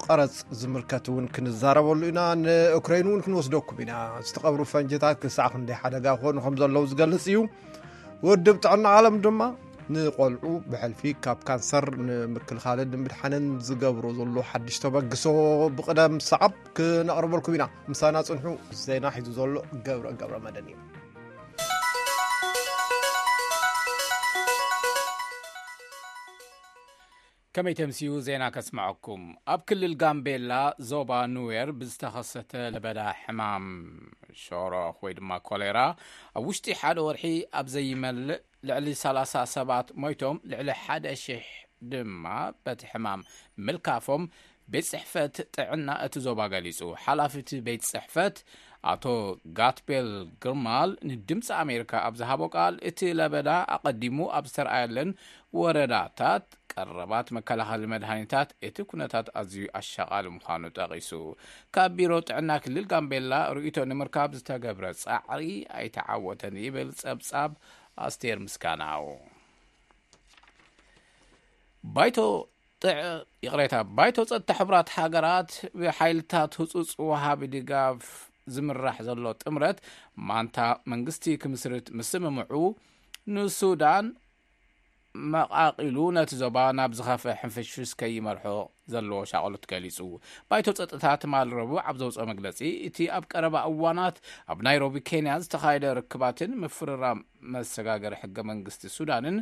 ቀረጽ ዝምልከት እውን ክንዛረበሉ ኢና። ንኡክረይን እውን ክንወስደኩም ኢና። ዝተቐብሩ ፈንጅታት ክሳዕ ክንደይ ሓደጋ ክኾኑ ከም ዘለዉ ዝገልጽ እዩ። ውድብ ጥዕና ዓለም ድማ ንቆልዑ ብሕልፊ ካብ ካንሰር ንምክልኻልን ንምድሓንን ዝገብሮ ዘሎ ሓድሽ ተበግሶ ብቕደም ሰዓብ ክነቕርበልኩም ኢና። ምሳና ጽንሑ። ዜና ሒዙ ዘሎ ገብረ ገብረ መድህን እዩ። ከመይ ተምስዩ ዜና ከስምዐኩም። ኣብ ክልል ጋምቤላ ዞባ ኑዌር ብዝተኸሰተ ለበዳ ሕማም ሾሮኽ ወይ ድማ ኮሌራ ኣብ ውሽጢ ሓደ ወርሒ ኣብ ዘይመልእ ልዕሊ ሰላሳ ሰባት ሞይቶም፣ ልዕሊ ሓደ ሽሕ ድማ በቲ ሕማም ምልካፎም ቤት ጽሕፈት ጥዕና እቲ ዞባ ገሊጹ። ሓላፊ እቲ ቤት ጽሕፈት ኣቶ ጋትቤል ግርማል ንድምፂ ኣሜሪካ ኣብ ዝሃቦ ቃል፣ እቲ ለበዳ ኣቐዲሙ ኣብ ዝተረኣየለን ወረዳታት ቀረባት መከላኸሊ መድሃኒታት፣ እቲ ኩነታት ኣዝዩ ኣሻቓሊ ምዃኑ ጠቒሱ። ካብ ቢሮ ጥዕና ክልል ጋምቤላ ርእይቶ ንምርካብ ዝተገብረ ጻዕሪ ኣይተዓወተን ይብል ጸብጻብ ኣስቴር ምስጋናው። ባይቶ ጥዕ-፣ ይቕሬታ፣ ባይቶ ጸጥታ ሕቡራት ሃገራት ብሓይልታት ህጹጽ ወሃቢ ድጋፍ ዝምራሕ ዘሎ ጥምረት ማንታ መንግስቲ ክምስርት ምስምምዑ፣ ንሱዳን መቓቒሉ ነቲ ዞባ ናብ ዝኸፍአ ሕንፍሽፍሽ ከይመርሖ ዘለዎ ሻቕሎት ገሊጹ። ባይቶ ጸጥታ ትማሊ ረቡዕ ኣብ ዘውጽኦ መግለጺ፣ እቲ ኣብ ቀረባ እዋናት ኣብ ናይሮቢ ኬንያ ዝተኻየደ ርክባትን ምፍርራም መሰጋገሪ ሕገ መንግስቲ ሱዳንን፣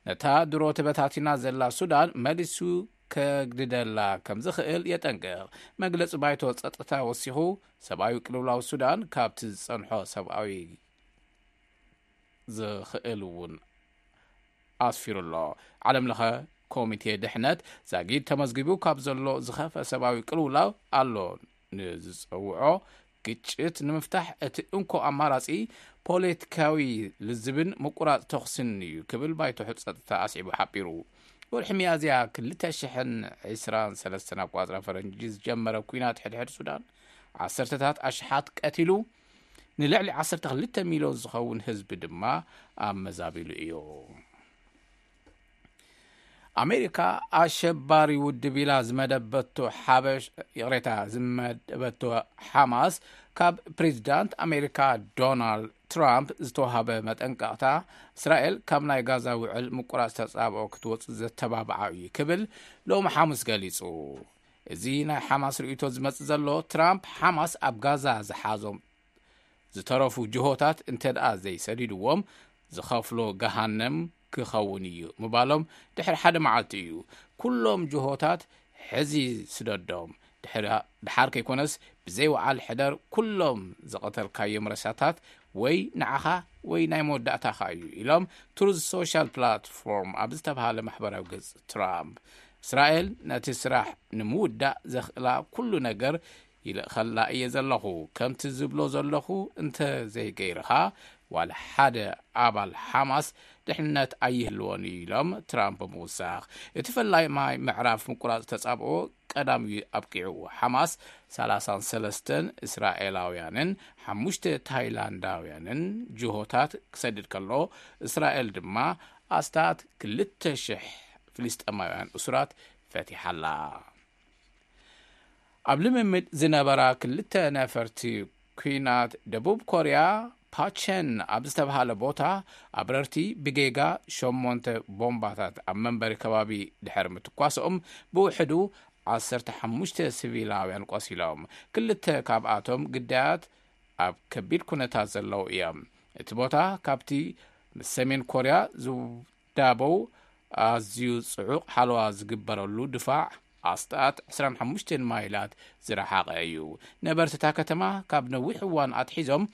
ነታ ድሮ ተበታቲና ዘላ ሱዳን መሊሱ ከግድደላ ከም ዝኽእል የጠንቅቕ። መግለጺ ባይቶ ጸጥታ ወሲኹ፣ ሰብኣዊ ቅልውላው ሱዳን ካብቲ ዝጸንሖ ሰብኣዊ ዝኽእል እውን ኣስፊሩ ኣሎ። ዓለም ለኸ ኮሚቴ ድሕነት ዛጊድ ተመዝጊቡ ካብ ዘሎ ዝኸፍአ ሰብኣዊ ቅልውላው ኣሎ ንዝጸውዖ ግጭት ንምፍታሕ እቲ እንኮ ኣማራጺ ፖለቲካዊ ልዝብን ምቁራጽ ተኹስን እዩ ክብል ባይቶ ጸጥታ ኣስዒቡ ሓቢሩ። ወርሒ ሚያዝያ ክልተ ሽሕን ዕስራን ሰለስተን ኣቋጽራ ፈረንጂ ዝጀመረ ኲናት ሕድሕድ ሱዳን ዓሰርተታት ኣሽሓት ቀቲሉ፣ ንልዕሊ ዓሰርተ ክልተ ሚልዮን ዝኸውን ህዝቢ ድማ ኣመዛቢሉ እዩ። ኣሜሪካ ኣሸባሪ ውድብ ኢላ ዝመደበቶ ሓበሽ፣ ይቕሬታ፣ ዝመደበቶ ሓማስ፣ ካብ ፕሬዚዳንት ኣሜሪካ ዶናልድ ትራምፕ ዝተዋህበ መጠንቀቕታ፣ እስራኤል ካብ ናይ ጋዛ ውዕል ምቁራጽ ተጻብኦ ክትወጽእ ዘተባብዓ እዩ ክብል ሎሚ ሓሙስ ገሊጹ። እዚ ናይ ሓማስ ርእይቶ ዝመጽእ ዘሎ፣ ትራምፕ ሓማስ ኣብ ጋዛ ዝሓዞም ዝተረፉ ጅሆታት እንተ ደኣ ዘይሰዲድዎም፣ ዝኸፍሎ ገሃነም ክኸውን እዩ ምባሎም ድሕሪ ሓደ መዓልቲ እዩ። ኩሎም ጅሆታት ሕዚ ስደዶም፣ ድሕሪ-፣ ድሓር ከይኮነስ ብዘይ ወዓል ሕደር ኩሎም ዝቐተልካዮም ረሳታት ወይ ንዓኻ ወይ ናይ መወዳእታኻ እዩ ኢሎም ትሩዝ ሶሻል ፕላትፎርም ኣብ ዝተባሃለ ማሕበራዊ ገጽ ትራምፕ። እስራኤል ነቲ ስራሕ ንምውዳእ ዘኽእላ ኩሉ ነገር ይልእኸላ እየ ዘለኹ። ከምቲ ዝብሎ ዘለኹ እንተ ዘይገይርኻ፣ ዋላ ሓደ ኣባል ሓማስ ድሕነት ኣይህልዎን እዩ ኢሎም ትራምፕ ብምውሳኽ። እቲ ፈላማይ ምዕራፍ ምቁራጽ ተጻብኦ ቀዳም እዩ ኣብቂዑ። ሓማስ ሰላሳን ሰለስተን እስራኤላውያንን ሓሙሽተ ታይላንዳውያንን ጅሆታት ክሰድድ ከሎ፣ እስራኤል ድማ ኣስታት ክልተ ሽሕ ፍልስጤማውያን እሱራት ፈቲሓላ። ኣብ ልምምድ ዝነበራ ክልተ ነፈርቲ ኲናት ደቡብ ኮርያ ፓቸን ኣብ ዝተባሃለ ቦታ ኣብረርቲ ብጌጋ ሸሞንተ ቦምባታት ኣብ መንበሪ ከባቢ ድሕሪ ምትኳሶም ብውሕዱ ዓሰርተ ሓሙሽተ ሲቪላውያን ቆሲሎም። ክልተ ካብኣቶም ግዳያት ኣብ ከቢድ ኩነታት ዘለዉ እዮም። እቲ ቦታ ካብቲ ምስ ሰሜን ኮርያ ዝዳበው ኣዝዩ ጽዑቕ ሓለዋ ዝግበረሉ ድፋዕ ኣስታት ዕስራን ሓሙሽተን ማይላት ዝረሓቐ እዩ። ነበርቲ እታ ከተማ ካብ ነዊሕ እዋን ኣትሒዞም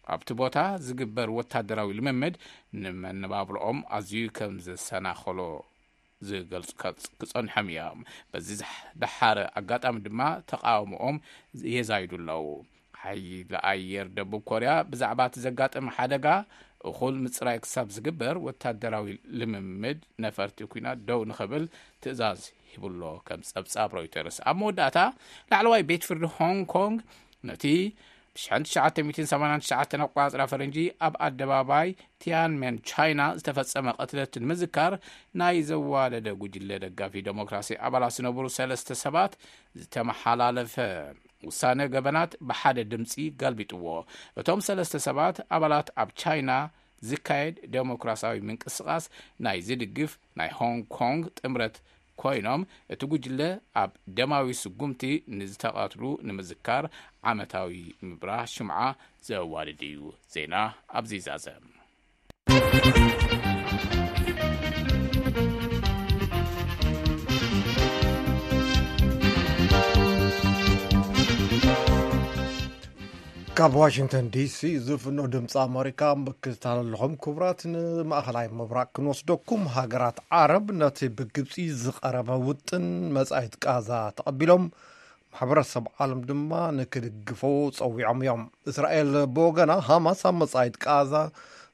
ኣብቲ ቦታ ዝግበር ወታደራዊ ልምምድ ንመነባብሮኦም ኣዝዩ ከም ዘሰናኸሎ ዝገልጹ ከጽ- ክጸንሖም እዮም። በዚ ዝሕ- ደሓረ ኣጋጣሚ ድማ ተቃውሞኦም የዛይዱ ኣለዉ። ሓይሊ ኣየር ደቡብ ኮርያ ብዛዕባ እቲ ዘጋጠመ ሓደጋ እኹል ምጽራይ ክሳብ ዝግበር ወታደራዊ ልምምድ ነፈርቲ ኩናት ደው ንኽብል ትእዛዝ ሂቡሎ ከም ጸብጻብ ሮይተርስ። ኣብ መወዳእታ ላዕለዋይ ቤት ፍርዲ ሆንግ ኮንግ ነቲ ብ1989 ኣቋጽራ ፈረንጂ ኣብ ኣደባባይ ቲያንሜን ቻይና ዝተፈጸመ ቅትለት ንምዝካር ናይ ዘዋደደ ጉጅለ ደጋፊ ዴሞክራሲ ኣባላት ዝነበሩ ሰለስተ ሰባት ዝተመሓላለፈ ውሳነ ገበናት ብሓደ ድምፂ ገልቢጥዎ። እቶም ሰለስተ ሰባት ኣባላት ኣብ ቻይና ዝካየድ ዴሞክራሲያዊ ምንቅስቃስ ናይ ዝድግፍ ናይ ሆንግ ኮንግ ጥምረት ኮይኖም፣ እቲ ጉጅለ ኣብ ደማዊ ስጉምቲ ንዝተቐትሉ ንምዝካር ዓመታዊ ምብራህ ሽምዓ ዘዋድድ እዩ። ዜና ኣብዚ ይዛዘም። ካብ ዋሽንግተን ዲሲ ዝፍኖ ድምፂ ኣመሪካ ምክትታል ኣለኹም። ክቡራት፣ ንማእኸላይ ምብራቅ ክንወስደኩም። ሃገራት ዓረብ ነቲ ብግብፂ ዝቐረበ ውጥን መጻኢት ቃዛ ተቐቢሎም፣ ማሕበረሰብ ዓለም ድማ ንክድግፎ ጸዊዖም እዮም። እስራኤል ብወገና፣ ሃማስ ኣብ መጻኢት ቃዛ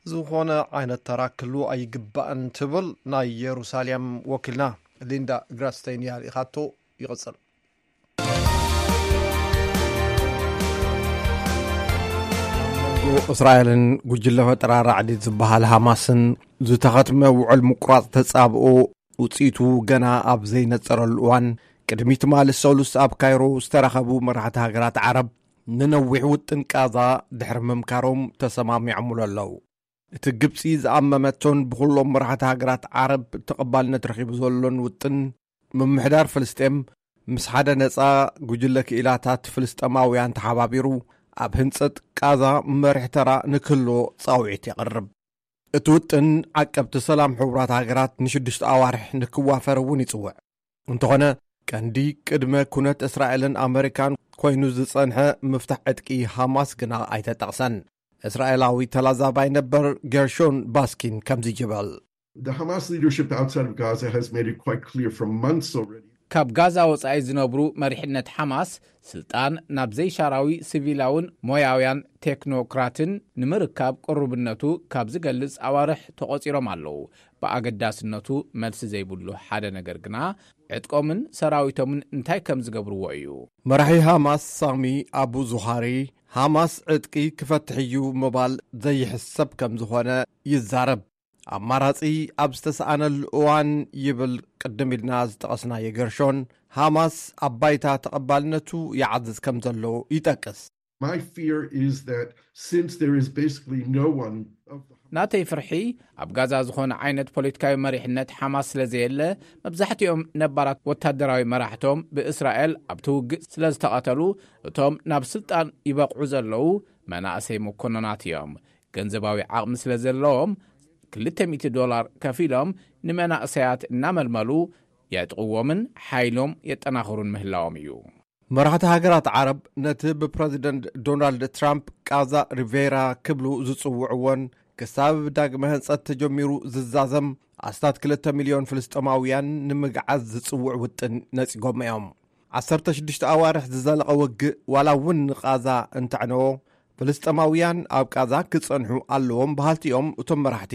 ዝኾነ ዓይነት ተራ ክህልዎ ኣይግባእን ትብል። ናይ የሩሳሌም ወኪልና ሊንዳ ግራስቴን እያ ልኢኻቶ። ይቕጽል። እስራኤልን ጉጅለ ፈጠራ ራዕዲ ዝበሃል ሃማስን ዝተኸትመ ውዕል ምቁራጽ ተጻብኦ ውጽኢቱ ገና ኣብ ዘይነጸረሉ እዋን፣ ቅድሚ ትማሊ ሰሉስ ኣብ ካይሮ ዝተረኸቡ መራሕቲ ሃገራት ዓረብ፣ ንነዊሕ ውጥን ቃዛ ድሕሪ ምምካሮም ተሰማሚዖምሉ ኣለዉ። እቲ ግብጺ ዝኣመመቶን ብኹሎም መራሕቲ ሃገራት ዓረብ ተቐባልነት ረኺቡ ዘሎን ውጥን፣ ምምሕዳር ፍልስጤም ምስ ሓደ ነጻ ጉጅለ ክኢላታት ፍልስጤማውያን ተሓባቢሩ፣ ኣብ ህንጸት ቃዛ መሪሕ ተራ ንክህልዎ ጻውዒት የቕርብ። እቲ ውጥን፣ ዓቀብቲ ሰላም ሕቡራት ሃገራት ንሽዱሽተ ኣዋርሕ ንክዋፈር እውን ይጽውዕ። እንተኾነ፣ ቀንዲ ቅድመ ኩነት እስራኤልን ኣመሪካን ኮይኑ ዝጸንሐ ምፍታሕ ዕጥቂ ሃማስ ግና ኣይተጠቕሰን። እስራኤላዊ ተላዛባይ ነበር ጌርሾን ባስኪን ከምዚ ይበል። The Hamas leadership outside of Gaza has made it quite clear for months already. ካብ ጋዛ ወጻኢ ዝነብሩ መሪሕነት ሓማስ፣ ስልጣን ናብ ዘይሻራዊ ሲቪላውን ሞያውያን ቴክኖክራትን ንምርካብ ቅሩብነቱ ካብ ዝገልጽ ኣዋርሕ ተቖጺሮም ኣለዉ። ብኣገዳስነቱ መልሲ ዘይብሉ ሓደ ነገር ግና፣ ዕጥቆምን ሰራዊቶምን እንታይ ከም ዝገብርዎ እዩ። መራሒ ሃማስ ሳሚ ኣቡ ዙሃሪ፣ ሃማስ ዕጥቂ ክፈትሕ እዩ ምባል ዘይሕሰብ ከም ዝኾነ ይዛረብ። ኣማራጺ ኣብ ዝተሰኣነሉ እዋን፣ ይብል ቅድም ኢልና ዝጠቐስናዮ ገርሾን፣ ሃማስ ኣብ ባይታ ተቐባልነቱ ይዓዝዝ ከም ዘሎ ይጠቅስ። My fear is that since there is basically no one of the ናተይ ፍርሒ፣ ኣብ ጋዛ ዝኾነ ዓይነት ፖለቲካዊ መሪሕነት ሓማስ ስለ ዘየለ፣ መብዛሕትኦም ነባራት ወታደራዊ መራሕቶም ብእስራኤል ኣብቲ ውግእ ስለ ዝተቐተሉ፣ እቶም ናብ ስልጣን ይበቕዑ ዘለዉ መናእሰይ መኮንናት እዮም። ገንዘባዊ ዓቕሚ ስለ ዘለዎም፣ ክልተ ሚእቲ ዶላር ከፊሎም ንመናእሰያት እናመልመሉ የዕጥቕዎምን ሓይሎም የጠናኽሩን ምህላዎም እዩ። መራሕቲ ሃገራት ዓረብ ነቲ ብፕረዚደንት ዶናልድ ትራምፕ ቃዛ ሪቬራ ክብሉ ዝጽውዕዎን ክሳብ ዳግመ ህንጸት ተጀሚሩ ዝዛዘም ኣስታት ክልተ ሚልዮን ፍልስጤማውያን ንምግዓዝ ዝጽውዕ ውጥን ነጺጎም እዮም። ዓሰርተ ሽዱሽተ ኣዋርሕ ዝዘለቐ ውግእ ዋላ እውን ንቓዛ እንተዕነዎ፣ ፍልስጤማውያን ኣብ ቃዛ ክጸንሑ ኣለዎም በሃልቲ እዮም እቶም መራሕቲ።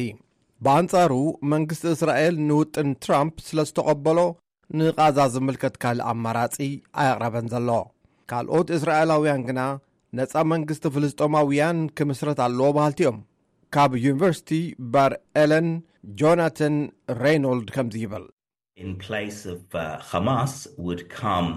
ብኣንጻሩ፣ መንግስቲ እስራኤል ንውጥን ትራምፕ ስለ ዝተቐበሎ፣ ንቓዛ ዝምልከት ካልእ ኣማራጺ ኣየቕረበን ዘሎ። ካልኦት እስራኤላውያን ግና፣ ነጻ መንግስቲ ፍልስጤማውያን ክምስረት ኣለዎ በሃልቲ እዮም። ካብ ዩኒቨርሲቲ ባር ኤለን፣ ጆናተን ሬይኖልድ ከምዚ ይብል። In place of uh, Hamas would come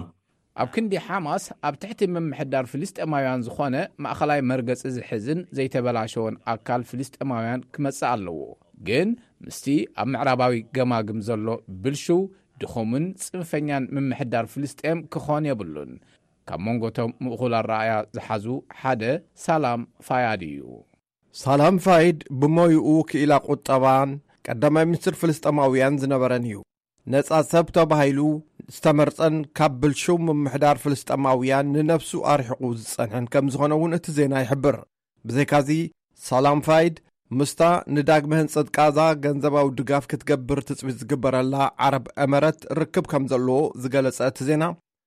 ኣብ ክንዲ ሓማስ፣ ኣብ ትሕቲ ምምሕዳር ፍልስጤማውያን ዝኾነ ማእኸላይ መርገጺ ዝሕዝን ዘይተበላሸወን ኣካል ፍልስጤማውያን ክመጽእ ኣለዎ። ግን ምስቲ ኣብ ምዕራባዊ ገማግም ዘሎ ብልሽው ድኹምን ጽንፈኛን ምምሕዳር ፍልስጤም ክኾን የብሉን። ካብ መንጎቶም ምእኹል ኣረኣያ ዝሓዙ ሓደ ሳላም ፋያድ እዩ። ሳላም ፋይድ ብሞይኡ ክኢላ ቁጠባን ቀዳማይ ሚኒስትር ፍልስጤማውያን ዝነበረን እዩ። ነጻ ሰብ ተባሂሉ ዝተመርጸን ካብ ብልሹው ምምሕዳር ፍልስጤማውያን ንነፍሱ ኣርሒቑ ዝጸንሐን ከም ዝኾነ እውን እቲ ዜና ይሕብር። ብዘይካዚ ሳላም ፋይድ ምስታ ንዳግመ ህንጸት ቃዛ ገንዘባዊ ድጋፍ ክትገብር ትጽቢት ዝግበረላ ዓረብ ኤመረት ርክብ ከም ዘለዎ ዝገለጸ እቲ ዜና፣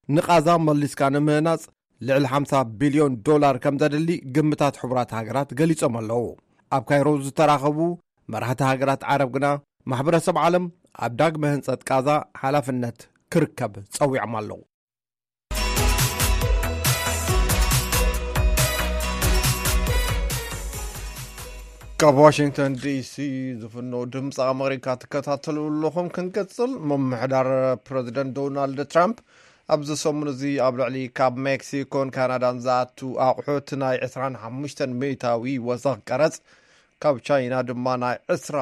ንቓዛ መሊስካ ንምህናጽ ልዕሊ ሓምሳ ቢልዮን ዶላር ከም ዘድሊ ግምታት ሕቡራት ሃገራት ገሊጾም ኣለዉ። ኣብ ካይሮ ዝተራኸቡ መራሕቲ ሃገራት ዓረብ ግና ማሕበረሰብ ዓለም ኣብ ዳግመ ህንጸት ቃዛ ሓላፍነት ክርከብ ጸዊዖም ኣለዉ። ካብ ዋሽንግተን ዲሲ ዝፍኖ ድምፂ ኣመሪካ ትከታተሉ ኣለኹም። ክንቅፅል፣ ምምሕዳር ፕረዚደንት ዶናልድ ትራምፕ ኣብዚ ሰሙን እዚ ኣብ ልዕሊ ካብ ሜክሲኮን ካናዳን ዝኣቱ ኣቑሑት ናይ ዕስራን ሓሙሽተን ሚእታዊ ወሰኽ ቀረፅ ካብ ቻይና ድማ ናይ ዕስራ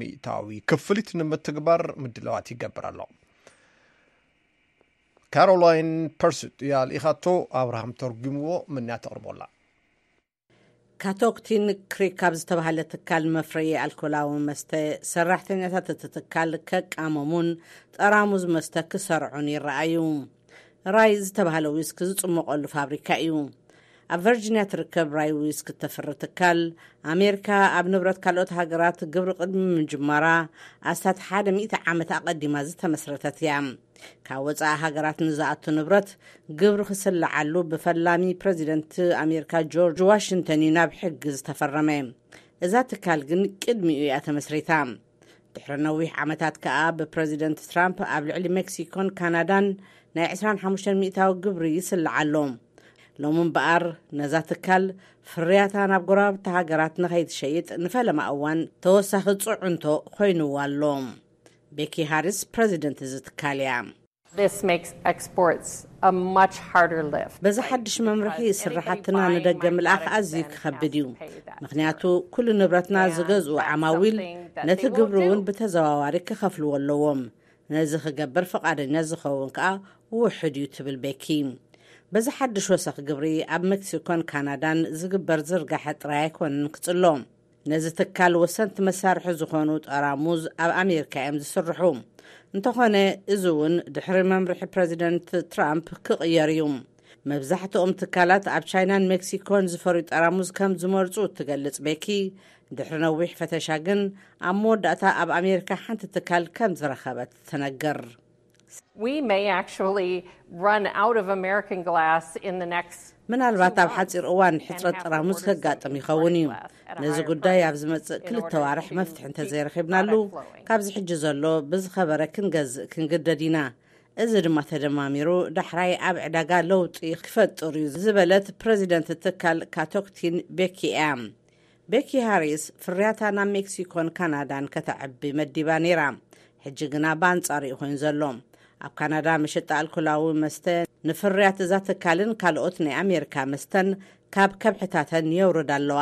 ሚእታዊ ክፍሊት ንምትግባር ምድላዋት ይገብር ኣሎ። ካሮላይን ፐርሱት እያ ልኢኻቶ፣ ኣብርሃም ተርጉምዎ፣ ምንያ ተቕርቦላ። ካቶክቲን ክሪክ ካብ ዝተባህለ ትካል መፍረዪ ኣልኮላዊ መስተ ሰራሕተኛታት እቲ ትካል ከቃመሙን ጠራሙዝ መስተ ክሰርዑን ይረኣዩ። ራይ ዝተባህለ ዊስኪ ዝጽመቐሉ ፋብሪካ እዩ። ኣብ ቨርጂንያ ትርከብ ራይ ዊስኪ እተፍሪ ትካል፣ ኣሜሪካ ኣብ ንብረት ካልኦት ሃገራት ግብሪ ቅድሚ ምጅማራ ኣስታት ሓደ ሚእቲ ዓመት ኣቐዲማ ዝተመስረተት እያ። ካብ ወጻኢ ሃገራት ንዝኣቱ ንብረት ግብሪ ክስልዓሉ ብፈላሚ ፕረዚደንት ኣሜሪካ ጆርጅ ዋሽንግተን እዩ ናብ ሕጊ ዝተፈረመ። እዛ ትካል ግን ቅድሚኡ እያ ተመስሪታ። ድሕሪ ነዊሕ ዓመታት ከኣ ብፕረዚደንት ትራምፕ ኣብ ልዕሊ ሜክሲኮን ካናዳን ናይ ዕስራን ሓሙሽተን ሚእታዊ ግብሪ ይስልዓ ኣሎ። ሎሚ እምበኣር ነዛ ትካል ፍርያታ ናብ ጎረባብቲ ሃገራት ንኸይትሸይጥ ንፈለማ እዋን ተወሳኺ ጽዕንቶ ኮይንዋ ኣሎ። ቤኪ ሃሪስ ፕረዚደንት እዚ ትካል እያ። This makes exports a much harder lift. በዚ ሓድሽ መምርሒ ስራሓትና ንደገ ምልኣኽ ኣዝዩ ክኸብድ እዩ። ምኽንያቱ ኩሉ ንብረትና ዝገዝኡ ዓማዊል ነቲ ግብሪ እውን ብተዘዋዋሪ ክኸፍልዎ ኣለዎም። ነዚ ክገብር ፍቓደኛ ዝኸውን ከኣ ውሑድ እዩ ትብል ቤኪ። በዚ ሓድሽ ወሰኽ ግብሪ ኣብ ሜክሲኮን ካናዳን ዝግበር ዝርጋሐ ጥራይ ኣይኮነን ክጽሎ። ነዚ ትካል ወሰንቲ መሳርሒ ዝኾኑ ጠራሙዝ ኣብ ኣሜሪካ እዮም ዝስርሑ። እንተኾነ፣ እዚ እውን ድሕሪ መምርሒ ፕረዚደንት ትራምፕ ክቕየር እዩ። መብዛሕትኦም ትካላት ኣብ ቻይናን ሜክሲኮን ዝፈርዩ ጠራሙዝ ከም ዝመርጹ እትገልጽ ቤኪ፣ ድሕሪ ነዊሕ ፈተሻ ግን ኣብ መወዳእታ ኣብ ኣሜሪካ ሓንቲ ትካል ከም ዝረኸበት ትነግር። We may actually run out of American glass in the next ምናልባት ኣብ ሓፂር እዋን ሕፅረት ጠራሙዝ ከጋጥም ይኸውን እዩ። ነዚ ጉዳይ ኣብ ዝመፅእ ክልተ ዋርሕ መፍትሒ እንተዘይረኺብናሉ፣ ካብዚ ሕጂ ዘሎ ብዝኸበረ ክንገዝእ ክንግደድ ኢና። እዚ ድማ ተደማሚሩ ዳሕራይ ኣብ ዕዳጋ ለውጢ ክፈጥር እዩ ዝበለት ፕረዚደንት ትካል ካቶክቲን ቤኪ እያ። ቤኪ ሃሪስ ፍርያታ ናብ ሜክሲኮን ካናዳን ከተዕቢ መዲባ ነይራ። ሕጂ ግና ብኣንጻሩ እዩ ኮይኑ ዘሎ። ኣብ ካናዳ መሸጣ ኣልኮላዊ መስተ ንፍርያት እዛ ትካልን ካልኦት ናይ ኣሜሪካ መስተን ካብ ከብሕታተን የውርዳ ኣለዋ።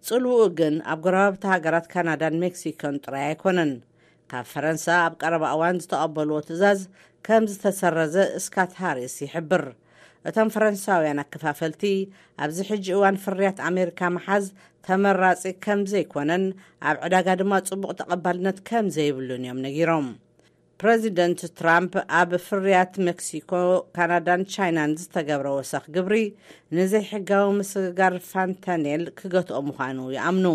ጽልውኡ ግን ኣብ ጎረባብቲ ሃገራት ካናዳን ሜክሲኮን ጥራይ ኣይኮነን። ካብ ፈረንሳ ኣብ ቀረባ እዋን ዝተቐበልዎ ትእዛዝ ከም ዝተሰረዘ ስካት ሃሪስ ይሕብር። እቶም ፈረንሳውያን ኣከፋፈልቲ ኣብዚ ሕጂ እዋን ፍርያት ኣሜሪካ ምሓዝ ተመራጺ ከም ዘይኮነን ኣብ ዕዳጋ ድማ ጽቡቕ ተቐባልነት ከም ዘይብሉን እዮም ነጊሮም። ፕረዚደንት ትራምፕ ኣብ ፍርያት ሜክሲኮ፣ ካናዳን ቻይናን ዝተገብረ ወሰኽ ግብሪ ንዘይሕጋዊ ምስግጋር ፋንታኔል ክገትኦ ምዃኑ ይኣምኑ።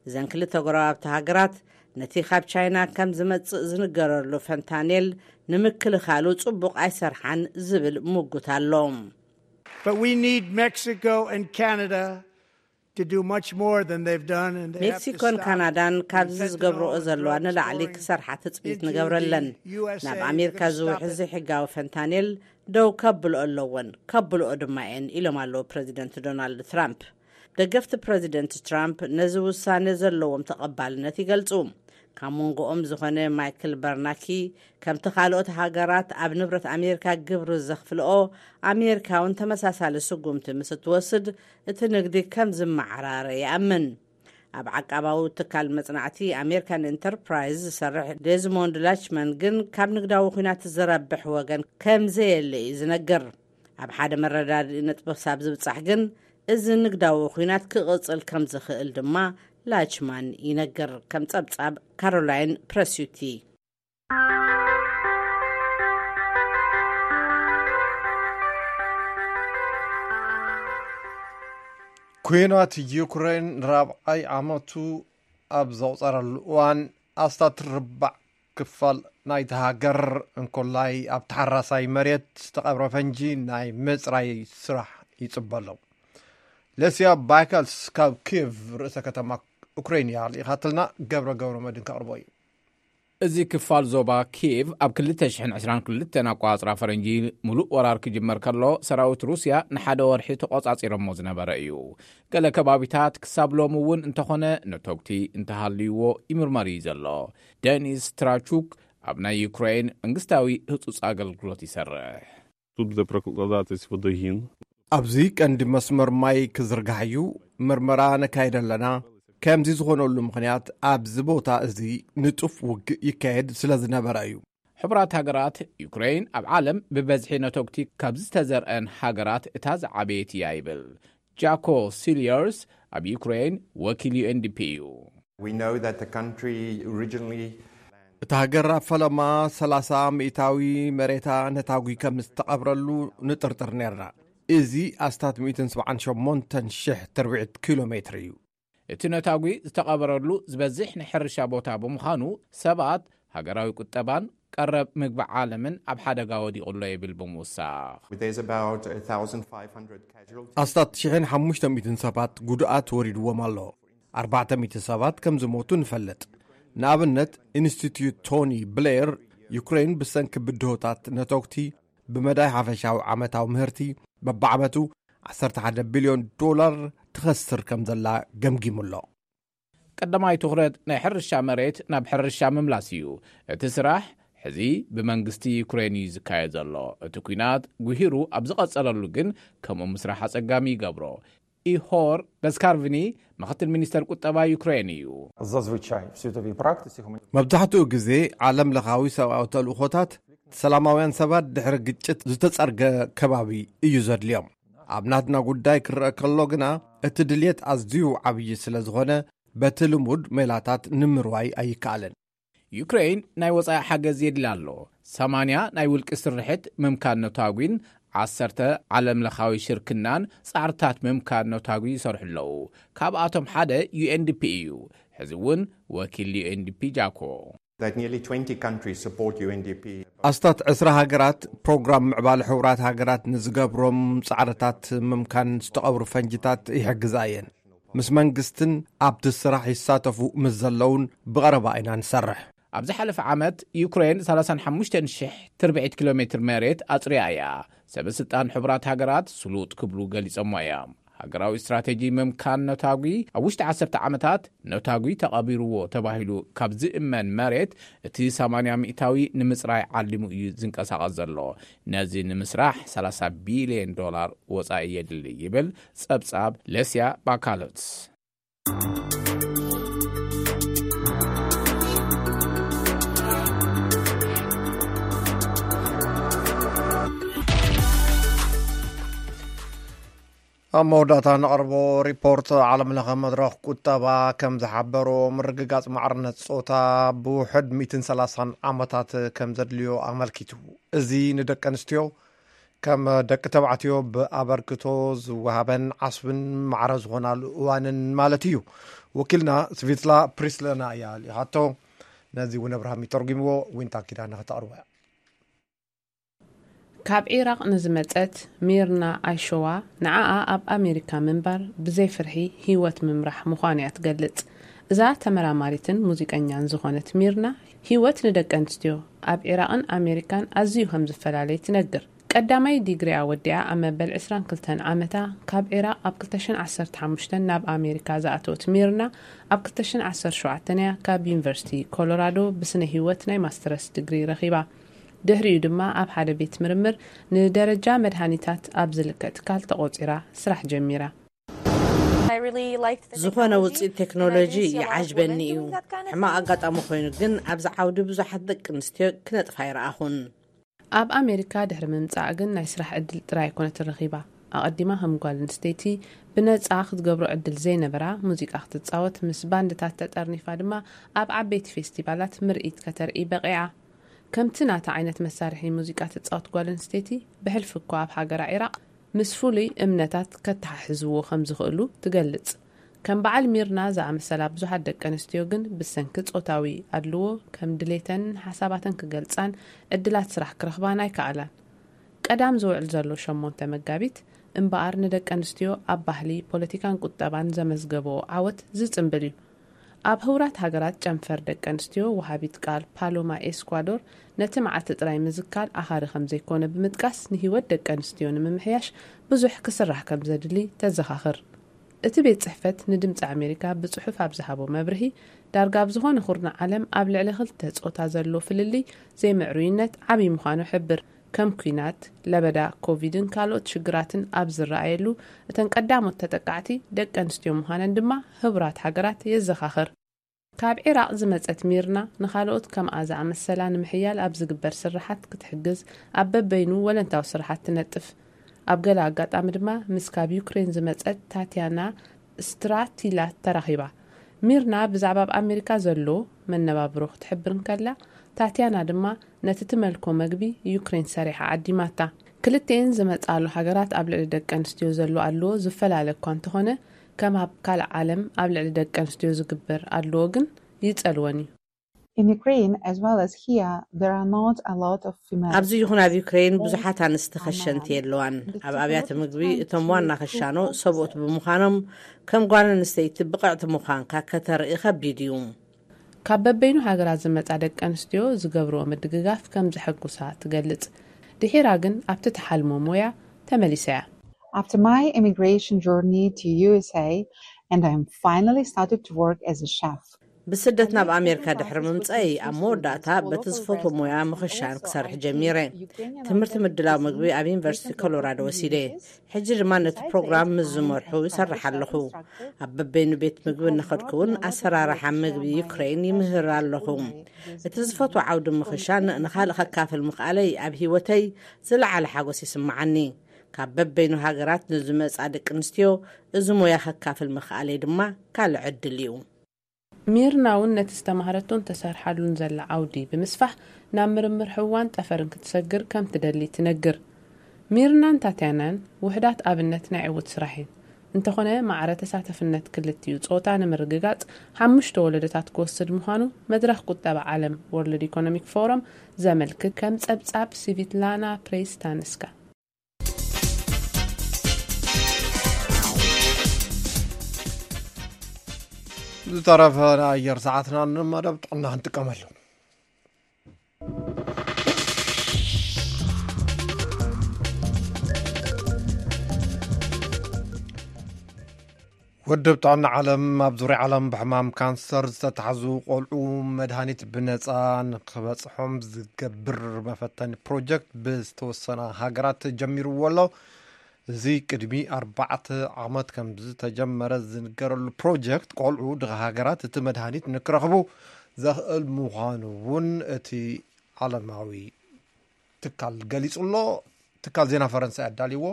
እዘን ክልተ ጎረባብቲ ሃገራት ነቲ ካብ ቻይና ከም ዝመጽእ ዝንገረሉ ፈንታኔል ንምክልኻሉ ጽቡቕ ኣይሰርሓን ዝብል ምጉት ኣሎ። But we need Mexico and Canada to do much more than they've done. And they have to ሜክሲኮን stop ካናዳን the ካብዚ fentanyl ዝገብርኦ and ዘለዋ drugs ንላዕሊ pouring ክሰርሓ ትጽቢት into ንገብረለን። the U S A ናብ and ኣሜሪካ to stop ዝውሕዝ it. ዘይሕጋዊ ፈንታኔል ደው ከብልኦ ኣለወን፣ ከብልኦ ድማ እየን ኢሎም ኣለዉ ፕረዚደንት ዶናልድ ትራምፕ። ደገፍቲ ፕረዚደንት ትራምፕ ነዚ ውሳነ ዘለዎም ተቐባልነት ይገልጹ። ካብ መንጎኦም ዝኾነ ማይክል በርናኪ፣ ከምቲ ካልኦት ሃገራት ኣብ ንብረት ኣሜሪካ ግብሪ ዘኽፍልኦ፣ ኣሜሪካ እውን ተመሳሳሊ ስጉምቲ ምስ እትወስድ እቲ ንግዲ ከም ዝመዓራረ ይኣምን። ኣብ ዓቃባዊ ትካል መጽናዕቲ ኣሜሪካን ኢንተርፕራይዝ ዝሰርሕ ዴዝሞንድ ላችመን ግን ካብ ንግዳዊ ኲናት ዝረብሕ ወገን ከም ዘየለ እዩ ዝነግር። ኣብ ሓደ መረዳድኢ ነጥቢ ክሳብ ዝብጻሕ ግን፣ እዚ ንግዳዊ ኲናት ክቕጽል ከም ዝኽእል ድማ ላችማን ይነግር። ከም ጸብጻብ ካሮላይን ፕረስዩቲ። ኩናት ዩክሬን ራብዓይ ዓመቱ ኣብ ዘቑጸረሉ እዋን፣ ኣስታት ርባዕ ክፋል ናይቲ ሃገር እንኮላይ ኣብ ተሓራሳይ መሬት ዝተቐብረ ፈንጂ ናይ ምጽራይ ስራሕ ይጽበ ኣሎ። ለስያ ባይካልስ ካብ ኪየቭ፣ ርእሰ ከተማ ኡክሬን እያ፣ ልኢኻትልና። ገብረ ገብረ መድን ከቕርቦ እዩ። እዚ ክፋል ዞባ ኪየቭ ኣብ ክልተ ሽሕን ዕስራን ክልተን ኣቋጽራ ፈረንጂ፣ ሙሉእ ወራር ክጅመር ከሎ፣ ሰራዊት ሩስያ ንሓደ ወርሒ ተቆጻጺሮሞ ዝነበረ እዩ። ገለ ከባቢታት ክሳብ ሎሚ እውን እንተኾነ ነተጉቲ እንተሃልይዎ ይምርመር እዩ ዘሎ። ደኒስ ትራቹክ ኣብ ናይ ዩክሬን መንግስታዊ ህጹጽ ኣገልግሎት ይሰርሕ። Тут буде прокладатись водогін. ኣብዚ ቀንዲ መስመር ማይ ክዝርጋሕ እዩ። ምርመራ ነካይድ ኣለና። ከምዚ ዝኾነሉ ምኽንያት፣ ኣብዚ ቦታ እዚ ንጡፍ ውግእ ይካየድ ስለ ዝነበረ እዩ። ሕቡራት ሃገራት፣ ዩክሬን ኣብ ዓለም ብበዝሒ ነተጉቲ ካብ ዝተዘርአን ሃገራት እታ ዝዓበየት እያ ይብል ጃኮ ሲልየርስ፣ ኣብ ዩክሬን ወኪል ዩኤንዲፒ እዩ። We know that the country originally እቲ ሃገር ኣብ ፈለማ ሰላሳ ሚእታዊ መሬታ ነታጒ ከም ዝተቐብረሉ ንጥርጥር ነርና። እዚ ኣስታት ሚእትን ሰብዓን ሸሞንተን ሽሕ ትርብዒት ኪሎ ሜትር እዩ። እቲ ነታጒ ዝተቐበረሉ ዝበዝሕ ናይ ሕርሻ ቦታ ብምዃኑ፣ ሰባት ሃገራዊ ቁጠባን ቀረብ ምግቢ ዓለምን ኣብ ሓደጋ ወዲቑ ኣሎ ይብል ብምውሳኽ። There's about a thousand five hundred casualties. ኣስታት ሽሕን ሓሙሽተ ሚእትን ሰባት ጉድኣት ወሪድዎም ኣሎ። ኣርባዕተ ሚእቲ ሰባት ከም ዝሞቱ ንፈልጥ። ንኣብነት፣ ኢንስቲትዩት ቶኒ ብሌር፣ ዩክሬን ብሰንኪ ብድሆታት ነተጉቲ ብመዳይ ሓፈሻዊ ዓመታዊ ምህርቲ በብዓመቱ ዓሰርተ ሓደ ቢልዮን ዶላር ትኸስር ከም ዘላ ገምጊሙ ኣሎ። ቀዳማይ ትኹረት ናይ ሕርሻ መሬት ናብ ሕርሻ ምምላስ እዩ። እቲ ስራሕ ሕዚ ብመንግስቲ ዩክሬን እዩ ዝካየድ ዘሎ። እቲ ኲናት ጉሂሩ ኣብ ዝቐጸለሉ ግን ከምኡ ምስራሕ ኣጸጋሚ ይገብሮ። ኢሆር ገስካርቭኒ፣ ምኽትል ሚኒስተር ቁጠባ ዩክሬን እዩ። Зазвичай в світовій практиці гуманітарна መብዛሕትኡ ግዜ ዓለም ለኻዊ ሰብኣዊ ተልእኾታት ሰላማውያን ሰባት ድሕሪ ግጭት ዝተጸርገ ከባቢ እዩ ዘድልዮም። ኣብ ናትና ጉዳይ ክረአ ከሎ ግና፣ እቲ ድልየት ኣዝዩ ዓብዪ ስለ ዝኾነ፣ በቲ ልሙድ ሜላታት ንምርዋይ ኣይከኣልን። ዩክሬን ናይ ወጻኢ ሓገዝ የድልያ ኣሎ። ሰማንያ ናይ ውልቂ ስርሕት ምምካን ነታጒን ዓሰርተ ዓለም ለኻዊ ሽርክናን ጻዕርታት ምምካን ነታጒ ይሰርሑ ኣለዉ። ካብኣቶም ሓደ ዩኤንዲፒ እዩ። ሕዚ እውን ወኪል ዩኤንዲፒ ጃኮ። That nearly twenty countries support U N D P. ኣስታት ዕስራ ሃገራት ፕሮግራም ምዕባለ ሕቡራት ሃገራት ንዝገብሮም ጻዕርታት ምምካን ዝተቐብሩ ፈንጅታት ይሕግዛ እየን። ምስ መንግስትን ኣብቲ ስራሕ ይሳተፉ ምስ ዘለውን ብቐረባ ኢና ንሰርሕ። ኣብ ዝሓለፈ ዓመት ዩክሬን ሰላሳን ሓሙሽተን ሽሕ ትርብዒት ኪሎ ሜትር መሬት ኣጽርያ እያ። ሰበ ስልጣን ሕቡራት ሃገራት ስሉጥ ክብሉ ገሊጾሞ እዮም። ሃገራዊ ስትራቴጂ ምምካን ነታጒ ኣብ ውሽጢ ዓሰርተ ዓመታት ነታጒ ተቐቢርዎ ተባሂሉ ካብ ዝእመን መሬት እቲ ሰማንያ ሚእታዊ ንምጽራይ ዓሊሙ እዩ ዝንቀሳቐስ ዘሎ። ነዚ ንምስራሕ ሰላሳ ቢልዮን ዶላር ወጻኢ የድሊ ይብል ጸብጻብ ለስያ ባካሎትስ። ኣብ መወዳእታ ነቕርቦ ሪፖርት። ዓለም ለኸ መድረኽ ቁጠባ ከም ዝሓበሮ፣ ምርግጋጽ ማዕርነት ጾታ ብውሕድ ሚእትን ሰላሳን ዓመታት ከም ዘድልዮ ኣመልኪቱ። እዚ ንደቂ ኣንስትዮ ከም ደቂ ተባዕትዮ ብኣበርክቶ ዝወሃበን ዓስብን ማዕረ ዝኾናሉ እዋንን ማለት እዩ። ወኪልና ስቪትላ ፕሪስለና እያ ልኢኻቶ። ነዚ እውን ኣብርሃም ይተርጉምዎ። ዊንታ ኪዳነ ከተቕርቦ እያ። ካብ ዒራቕ ንዝመጸት ሚርና ኣይሾዋ፣ ንዓኣ ኣብ ኣሜሪካ ምንባር ብዘይ ፍርሒ ህይወት ምምራሕ ምዃኑ እያ ትገልጽ። እዛ ተመራማሪትን ሙዚቀኛን ዝኾነት ሚርና፣ ህይወት ንደቂ ኣንስትዮ ኣብ ዒራቕን ኣሜሪካን ኣዝዩ ከም ዝፈላለይ ትነግር። ቀዳማይ ዲግሪኣ ወዲኣ ኣብ መበል ዕስራን ክልተን ዓመታ ካብ ዒራቕ ኣብ ክልተ ሽሕን ዓሰርተ ሓሙሽተን ናብ ኣሜሪካ ዝኣተወት ሚርና፣ ኣብ ክልተ ሽሕን ዓሰርተ ሸውዓተን እያ ካብ ዩኒቨርሲቲ ኮሎራዶ ብስነ ህይወት ናይ ማስተርስ ዲግሪ ረኺባ። ድሕሪኡ ድማ ኣብ ሓደ ቤት ምርምር ንደረጃ መድሃኒታት ኣብ ዝልከ ትካል ተቖጺራ ስራሕ ጀሚራ። ዝኾነ ውፅኢት ቴክኖሎጂ ይዓጅበኒ እዩ። ሕማቕ ኣጋጣሚ ኮይኑ ግን ኣብዚ ዓውዲ ብዙሓት ደቂ ኣንስትዮ ክነጥፋ ይረኣኹን። ኣብ ኣሜሪካ ድሕሪ ምምጻእ ግን ናይ ስራሕ ዕድል ጥራይ ኣይኮነትን ረኺባ። ኣቐዲማ ከም ጓል ኣንስተይቲ ብነጻ ክትገብሮ ዕድል ዘይነበራ፣ ሙዚቃ ክትጻወት፣ ምስ ባንድታት ተጠርኒፋ ድማ ኣብ ዓበይቲ ፌስቲቫላት ምርኢት ከተርኢ በቒዓ። ከምቲ ናታ ዓይነት መሳርሒ ሙዚቃ ትጻወት ጓል ኣንስተይቲ፣ ብሕልፊ እኳ ኣብ ሃገራ ዒራቕ ምስ ፍሉይ እምነታት ከተሓሕዝዎ ከም ዝኽእሉ ትገልጽ። ከም በዓል ሚርና ዝኣመሰላ ብዙሓት ደቂ ኣንስትዮ ግን ብሰንኪ ጾታዊ ኣድልዎ ከም ድሌተን ሓሳባተን ክገልጻን ዕድላት ስራሕ ክረኽባን ኣይከኣላን። ቀዳም ዝውዕል ዘሎ ሸሞንተ መጋቢት እምበኣር ንደቂ ኣንስትዮ ኣብ ባህሊ፣ ፖለቲካን ቁጠባን ዘመዝገብኦ ዓወት ዝጽንብል እዩ። ኣብ ህቡራት ሃገራት ጨንፈር ደቂ ኣንስትዮ ወሃቢት ቃል ፓሎማ ኤስኳዶር ነቲ መዓልቲ ጥራይ ምዝካር ኣኻሪ ከም ዘይኮነ ብምጥቃስ ንህይወት ደቂ ኣንስትዮ ንምምሕያሽ ብዙሕ ክስራሕ ከም ዘድሊ ተዘኻኽር። እቲ ቤት ጽሕፈት ንድምጺ ኣሜሪካ ብጽሑፍ ኣብ ዝሃቦ መብርሂ፣ ዳርጋ ኣብ ዝኾነ ኩርናዕ ዓለም ኣብ ልዕሊ ክልተ ጾታ ዘሎ ፍልልይ ዘይምዕሩይነት ዓብዪ ምዃኑ ሕብር። ከም ኲናት፣ ለበዳ ኮቪድን ካልኦት ሽግራትን ኣብ ዝረኣየሉ፣ እተን ቀዳሞት ተጠቃዕቲ ደቂ ኣንስትዮ ምዃነን ድማ ህቡራት ሃገራት የዘኻኽር። ካብ ዒራቕ ዝመጸት ሚርና ንኻልኦት ከምኣ ዝኣመሰላ ንምሕያል ኣብ ዝግበር ስርሓት ክትሕግዝ ኣብ በበይኑ ወለንታዊ ስርሓት ትነጥፍ። ኣብ ገለ ኣጋጣሚ ድማ ምስ ካብ ዩክሬን ዝመጸት ታትያና ስትራቲላ ተራኺባ። ሚርና ብዛዕባ ኣብ ኣሜሪካ ዘሎ መነባብሮ ክትሕብር እንከላ፣ ታትያና ድማ ነቲ ትመልኮ መግቢ ዩክሬን ሰሪሓ ዓዲማታ። ክልቲኤን ዝመጻሉ ሃገራት ኣብ ልዕሊ ደቂ ኣንስትዮ ዘሎ ኣድልዎ ዝፈላለ እኳ እንተኾነ፣ ከም ኣብ ካልእ ዓለም ኣብ ልዕሊ ደቂ ኣንስትዮ ዝግበር ኣድልዎ ግን ይጸልወን እዩ። In Ukraine, as well as here, there are not a lot of female ኣብዚ ይኹን ኣብ ዩክሬን ብዙሓት ኣንስቲ ኸሸንቲ የለዋን። ኣብ ኣብያተ ምግቢ እቶም ዋና ኸሻኖ ሰብኡት ብምዃኖም፣ ከም ጓል ኣንስተይቲ ብቕዕቲ ምዃንካ ከተርኢ ኸቢድ እዩ። ካብ በበይኑ ሃገራት ዝመጻ ደቂ ኣንስትዮ ዝገብርዎ ምድግጋፍ ከም ዘሐጉሳ ትገልጽ። ድሒራ ግን ኣብቲ ትሓልሞ ሞያ ተመሊሳ እያ። After my immigration journey to U S A, and I'm finally started to work as a chef. ብስደት ናብ ኣሜሪካ ድሕሪ ምምፀይ ኣብ መወዳእታ በቲ ዝፈትዎ ሞያ ምኽሻን ክሰርሕ ጀሚረ። ትምህርቲ ምድላው ምግቢ ኣብ ዩኒቨርሲቲ ኮሎራዶ ወሲደ። ሕጂ ድማ ነቲ ፕሮግራም ምስ ዝመርሑ ይሰርሕ ኣለኹ። ኣብ በበይኑ ቤት ምግቢ እናኸድኩ እውን ኣሰራርሓ ምግቢ ዩክሬን ይምህር ኣለኹ። እቲ ዝፈትዎ ዓውዲ ምኽሻን ንኻልእ ከካፍል ምኽኣለይ ኣብ ህይወተይ ዝለዓለ ሓጎስ ይስምዓኒ። ካብ በበይኑ ሃገራት ንዝመጻ ደቂ ኣንስትዮ እዚ ሞያ ከካፍል ምኽኣለይ ድማ ካልእ ዕድል እዩ። ሚርና እውን ነቲ ዝተማህረቶን ተሰርሓሉን ዘላ ዓውዲ ብምስፋሕ ናብ ምርምር ህዋን ጠፈርን ክትሰግር ከም ትደሊ ትነግር። ሚርናን ታትያናን ውሕዳት ኣብነት ናይ ዕዉት ስራሕ እየን። እንተኾነ ማዕረ ተሳተፍነት ክልቲኡ ጾታ ንምርግጋጽ ሓሙሽተ ወለዶታት ክወስድ ምዃኑ መድረኽ ቁጠባ ዓለም ወርልድ ኢኮኖሚክ ፎረም ዘመልክት ከም ጸብጻብ ስቪትላና ፕሬስታንስካ። ዝተረፈ ናይ ኣየር ሰዓትና ንመደብ ጥዕና ክንጥቀመሉ። ውድብ ጥዕና ዓለም ኣብ ዙርያ ዓለም ብሕማም ካንሰር ዝተታሕዙ ቆልዑ መድሃኒት ብነፃ ንክበፅሖም ዝገብር መፈተኒ ፕሮጀክት ብዝተወሰነ ሃገራት ጀሚርዎ ኣሎ። እዚ ቅድሚ ኣርባዕተ ዓመት ከም ዝተጀመረ ዝንገረሉ ፕሮጀክት ቆልዑ ድኻ ሃገራት እቲ መድሃኒት ንክረኽቡ ዘኽእል ምዃኑ እውን እቲ ዓለማዊ ትካል ገሊጹ ኣሎ። ትካል ዜና ፈረንሳ ኣዳልይዎ።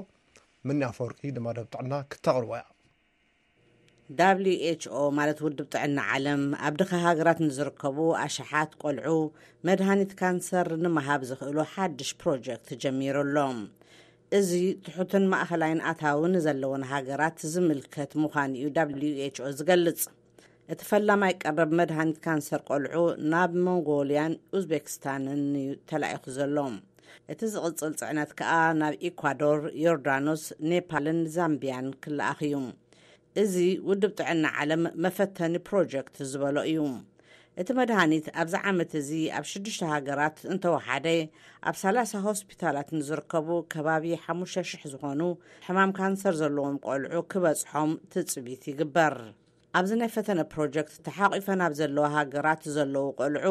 ምኒ ኣፈወርቂ ንመደብ ጥዕና ክተቕርቦ እያ። W H O ማለት ውድብ ጥዕና ዓለም ኣብ ድኻ ሃገራት ንዝርከቡ ኣሽሓት ቆልዑ መድሃኒት ካንሰር ንምሃብ ዝኽእሉ ሓድሽ ፕሮጀክት ጀሚሩ ኣሎ። እዚ ትሑትን ማእኸላይን ኣታዊ ንዘለወን ሃገራት ዝምልከት ምዃኑ እዩ W H O ዝገልጽ። እቲ ፈላማይ ቀረብ መድሃኒት ካንሰር ቆልዑ ናብ ሞንጎልያን ኡዝቤክስታንን እዩ ተላኢኹ ዘሎ። እቲ ዝቕጽል ጽዕነት ከኣ ናብ ኢኳዶር፣ ዮርዳኖስ፣ ኔፓልን ዛምቢያን ክለኣኽ እዩ። እዚ ውድብ ጥዕና ዓለም መፈተኒ ፕሮጀክት ዝበሎ እዩ። እቲ መድሃኒት ኣብዚ ዓመት እዚ ኣብ ሽዱሽተ ሃገራት እንተወሓደ ኣብ ሰላሳ ሆስፒታላት ንዝርከቡ ከባቢ ሓሙሽተ ሽሕ ዝኾኑ ሕማም ካንሰር ዘለዎም ቆልዑ ክበጽሖም ትጽቢት ይግበር። ኣብዚ ናይ ፈተነ ፕሮጀክት ተሓቒፈን ኣብ ዘለዋ ሃገራት ዘለዉ ቆልዑ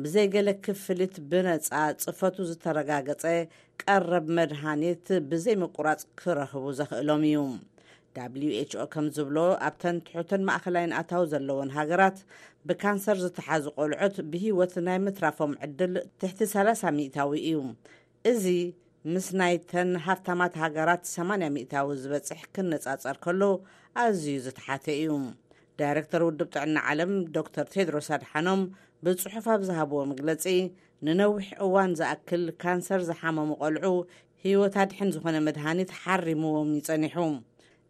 ብዘይ ገለ ክፍሊት ብነጻ ጽፈቱ ዝተረጋገጸ ቀረብ መድሃኒት ብዘይ ምቁራጽ ክረኽቡ ዘኽእሎም እዩ። ደብሊው ኤች ኦ ከም ዝብሎ፣ ኣብተን ትሑትን ማእኸላይን ኣታዊ ዘለወን ሃገራት ብካንሰር ዝተሓዙ ቆልዑት ብህይወት ናይ ምትራፎም ዕድል ትሕቲ ሰላሳ ሚእታዊ እዩ። እዚ ምስ ናይተን ሃፍታማት ሃገራት ሰማንያ ሚእታዊ ዝበጽሕ ክነጻጸር ከሎ ኣዝዩ ዝተሓተ እዩ። ዳይሬክተር ውድብ ጥዕና ዓለም ዶክተር ቴድሮስ ኣድሓኖም ብጽሑፍ ኣብ ዝሃብዎ መግለጺ፣ ንነዊሕ እዋን ዝኣክል ካንሰር ዝሓመሙ ቆልዑ ህይወት ኣድሕን ዝኾነ መድሃኒት ሓሪምዎም እዩ ጸኒሑ።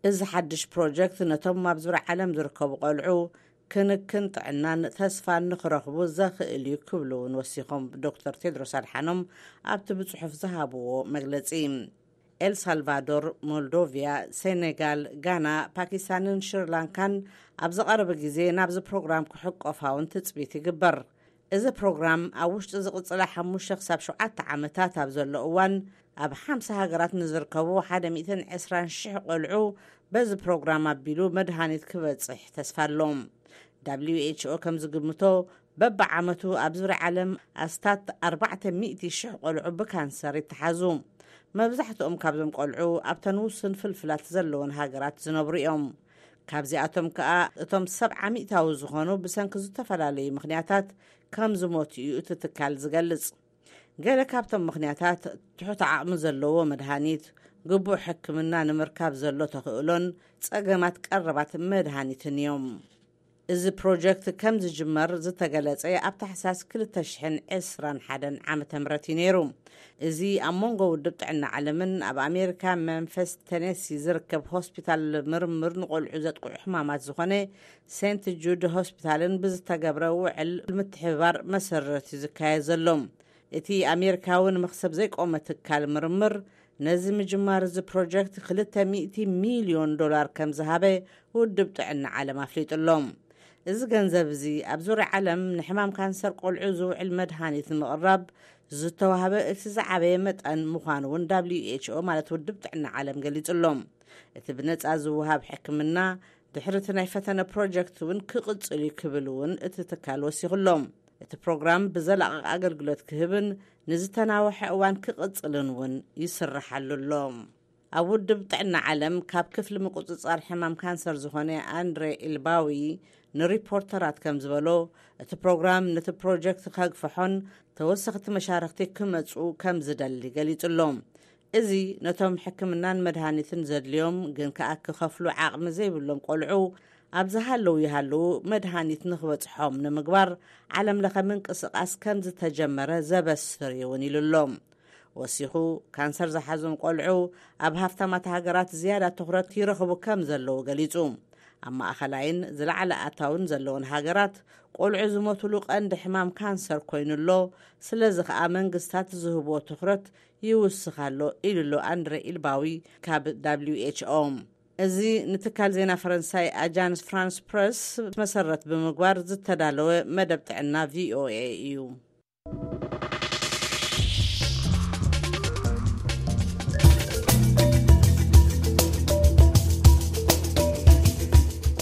እዚ ሓድሽ ፕሮጀክት ነቶም ኣብ ዙርያ ዓለም ዝርከቡ ቆልዑ ክንክን ጥዕናን ተስፋን ንኽረኽቡ ዘኽእል እዩ ክብሉ እውን ወሲኾም ዶክተር ቴድሮስ ኣድሓኖም ኣብቲ ብጽሑፍ ዝሃብዎ መግለጺ። ኤል ሳልቫዶር፣ ሞልዶቪያ፣ ሴኔጋል፣ ጋና፣ ፓኪስታንን ሽሪላንካን ኣብ ዝቐረበ ግዜ ናብዚ ፕሮግራም ክሕቆፋ እውን ትጽቢት ይግበር። እዚ ፕሮግራም ኣብ ውሽጢ ዝቕጽላ ሓሙሽተ ክሳብ ሸውዓተ ዓመታት ኣብ ዘሎ እዋን ኣብ ሓምሳ ሃገራት ንዝርከቡ ሓደ ሚእትን ዕስራን ሽሕ ቆልዑ በዚ ፕሮግራም ኣቢሉ መድሃኒት ክበጽሕ ተስፋ ኣሎ። ደብሊው ኤች ኦ ከም ዝግምቶ፣ በብዓመቱ ኣብ ዙርያ ዓለም ኣስታት ኣርባዕተ ሚእቲ ሽሕ ቆልዑ ብካንሰር ይተሓዙ። መብዛሕትኦም ካብዞም ቆልዑ ኣብተን ውሱን ፍልፍላት ዘለወን ሃገራት ዝነብሩ እዮም። ካብዚኣቶም ከኣ እቶም ሰብዓ ሚእታዊ ዝኾኑ ብሰንኪ ዝተፈላለዩ ምኽንያታት ከም ዝሞቱ እዩ እቲ ትካል ዝገልጽ። ገለ ካብቶም ምኽንያታት፣ ትሑት ዓቕሚ ዘለዎ መድሃኒት፣ ግቡእ ሕክምና ንምርካብ ዘሎ ተኽእሎን ጸገማት ቀረባት መድሃኒትን እዮም። እዚ ፕሮጀክት ከም ዝጅመር ዝተገለጸ ኣብ ታሕሳስ ክልተ ሽሕን ዕስራን ሓደን ዓመተ ምህረት እዩ ነይሩ። እዚ ኣብ መንጎ ውድብ ጥዕና ዓለምን ኣብ ኣሜሪካ መንፈስ ቴነሲ ዝርከብ ሆስፒታል ምርምር ንቆልዑ ዘጥቅዑ ሕማማት ዝኾነ ሴንት ጁድ ሆስፒታልን ብዝተገብረ ውዕል ምትሕብባር መሰረት እዩ ዝካየድ ዘሎ። እቲ ኣሜሪካዊ ንመኽሰብ ዘይቆመ ትካል ምርምር ነዚ ምጅማር እዚ ፕሮጀክት ክልተ ሚእቲ ሚልዮን ዶላር ከም ዝሃበ ውድብ ጥዕና ዓለም ኣፍሊጡ ኣሎ። እዚ ገንዘብ እዚ ኣብ ዙርያ ዓለም ንሕማም ካንሰር ቆልዑ ዝውዕል መድሃኒት ንምቕራብ ዝተዋህበ እቲ ዝዓበየ መጠን ምዃኑ እውን ደብሊው ኤች ኦ ማለት ውድብ ጥዕና ዓለም ገሊጹ ኣሎ። እቲ ብነጻ ዝወሃብ ሕክምና ድሕሪ እቲ ናይ ፈተነ ፕሮጀክት እውን ክቕጽል እዩ ክብል እውን እቲ ትካል ወሲኹ ኣሎ። እቲ ፕሮግራም ብዘላቒ ኣገልግሎት ክህብን ንዝተናውሐ እዋን ክቕጽልን እውን ይስርሓሉ ኣሎ። ኣብ ውድብ ጥዕና ዓለም ካብ ክፍሊ ምቁጽጻር ሕማም ካንሰር ዝኾነ ኣንድሬ ኢልባዊ ንሪፖርተራት ከም ዝበሎ፣ እቲ ፕሮግራም ነቲ ፕሮጀክት ከግፍሖን ተወሰኽቲ መሻርኽቲ ክመጹ ከም ዝደሊ ገሊጹ ኣሎ። እዚ ነቶም ሕክምናን መድሃኒትን ዘድልዮም ግን ከኣ ክኸፍሉ ዓቕሚ ዘይብሎም ቆልዑ ኣብ ዝሃለዉ ይሃለዉ መድሃኒት ንኽበጽሖም ንምግባር ዓለም ለኸ ምንቅስቓስ ከም ዝተጀመረ ዘበስር እዩ እውን ኢሉ ኣሎ። ወሲኹ፣ ካንሰር ዝሓዞም ቆልዑ ኣብ ሃፍታማት ሃገራት ዝያዳ ትኹረት ይረኽቡ ከም ዘለዉ ገሊጹ። ኣብ ማእኸላይን ዝለዓለ ኣታውን ዘለወን ሃገራት ቆልዑ ዝሞትሉ ቀንዲ ሕማም ካንሰር ኮይኑ ኣሎ። ስለዚ ኸኣ መንግስታት ዝህብዎ ትኹረት ይውስኽ ኣሎ ኢሉ ኣሎ ኣንድሬ ኢልባዊ ካብ ደብሊው ኤች ኦ። እዚ ንትካል ዜና ፈረንሳይ ኣጃንስ ፍራንስ ፕረስ መሰረት ብምግባር ዝተዳለወ መደብ ጥዕና ቪ ኦ ኤ እዩ።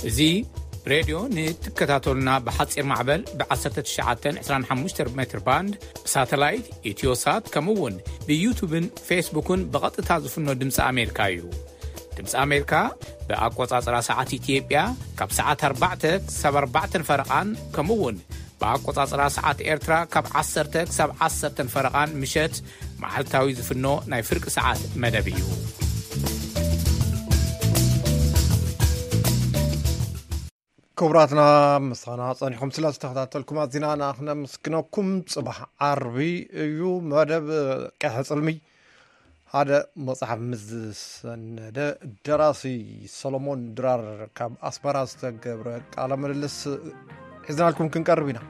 እዚ ሬድዮ ንትከታተሉና ብሓጺር ማዕበል ብ ዓሰርተ ትሽዓተ ዕስራን ሓሙሽተን ሜትር ባንድ፣ ብሳተላይት፣ ኢትዮሳት፣ ከምኡ እውን ብዩቱብን ፌስቡክን ብቐጥታ ዝፍኖ ድምፂ ኣሜሪካ እዩ። ድምፂ ኣሜሪካ ብኣቆጻጽራ ሰዓት ኢትዮጵያ ካብ ሰዓት ኣርባዕተ ክሳብ ኣርባዕተን ፈረቓን፣ ከምኡ እውን ብኣቆጻጽራ ሰዓት ኤርትራ ካብ ዓሰርተ ክሳብ ዓሰርተን ፈረቓን ምሸት መዓልታዊ ዝፍኖ ናይ ፍርቂ ሰዓት መደብ እዩ። ክቡራትና፣ ምሳና ጸኒኹም ስለ ዝተኸታተልኩም ኣዚና ንኣኽነምስግነኩም። ጽባሕ ዓርቢ እዩ፣ መደብ ቀይሕ ጽልሚ ሓደ መጽሓፍ ምስ ዝሰነደ ደራሲ ሰሎሞን ድራር ካብ ኣስመራ ዝተገብረ ቃለ ምልልስ ሒዝናልኩም ክንቀርብ ኢና።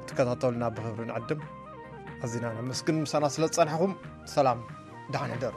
ትከታተሉና ብኽብሪ ንዕድም። ኣዚና ነመስግን ምሳና ስለ ዝጸናሕኩም። ሰላም፣ ደሓን ሕደሩ።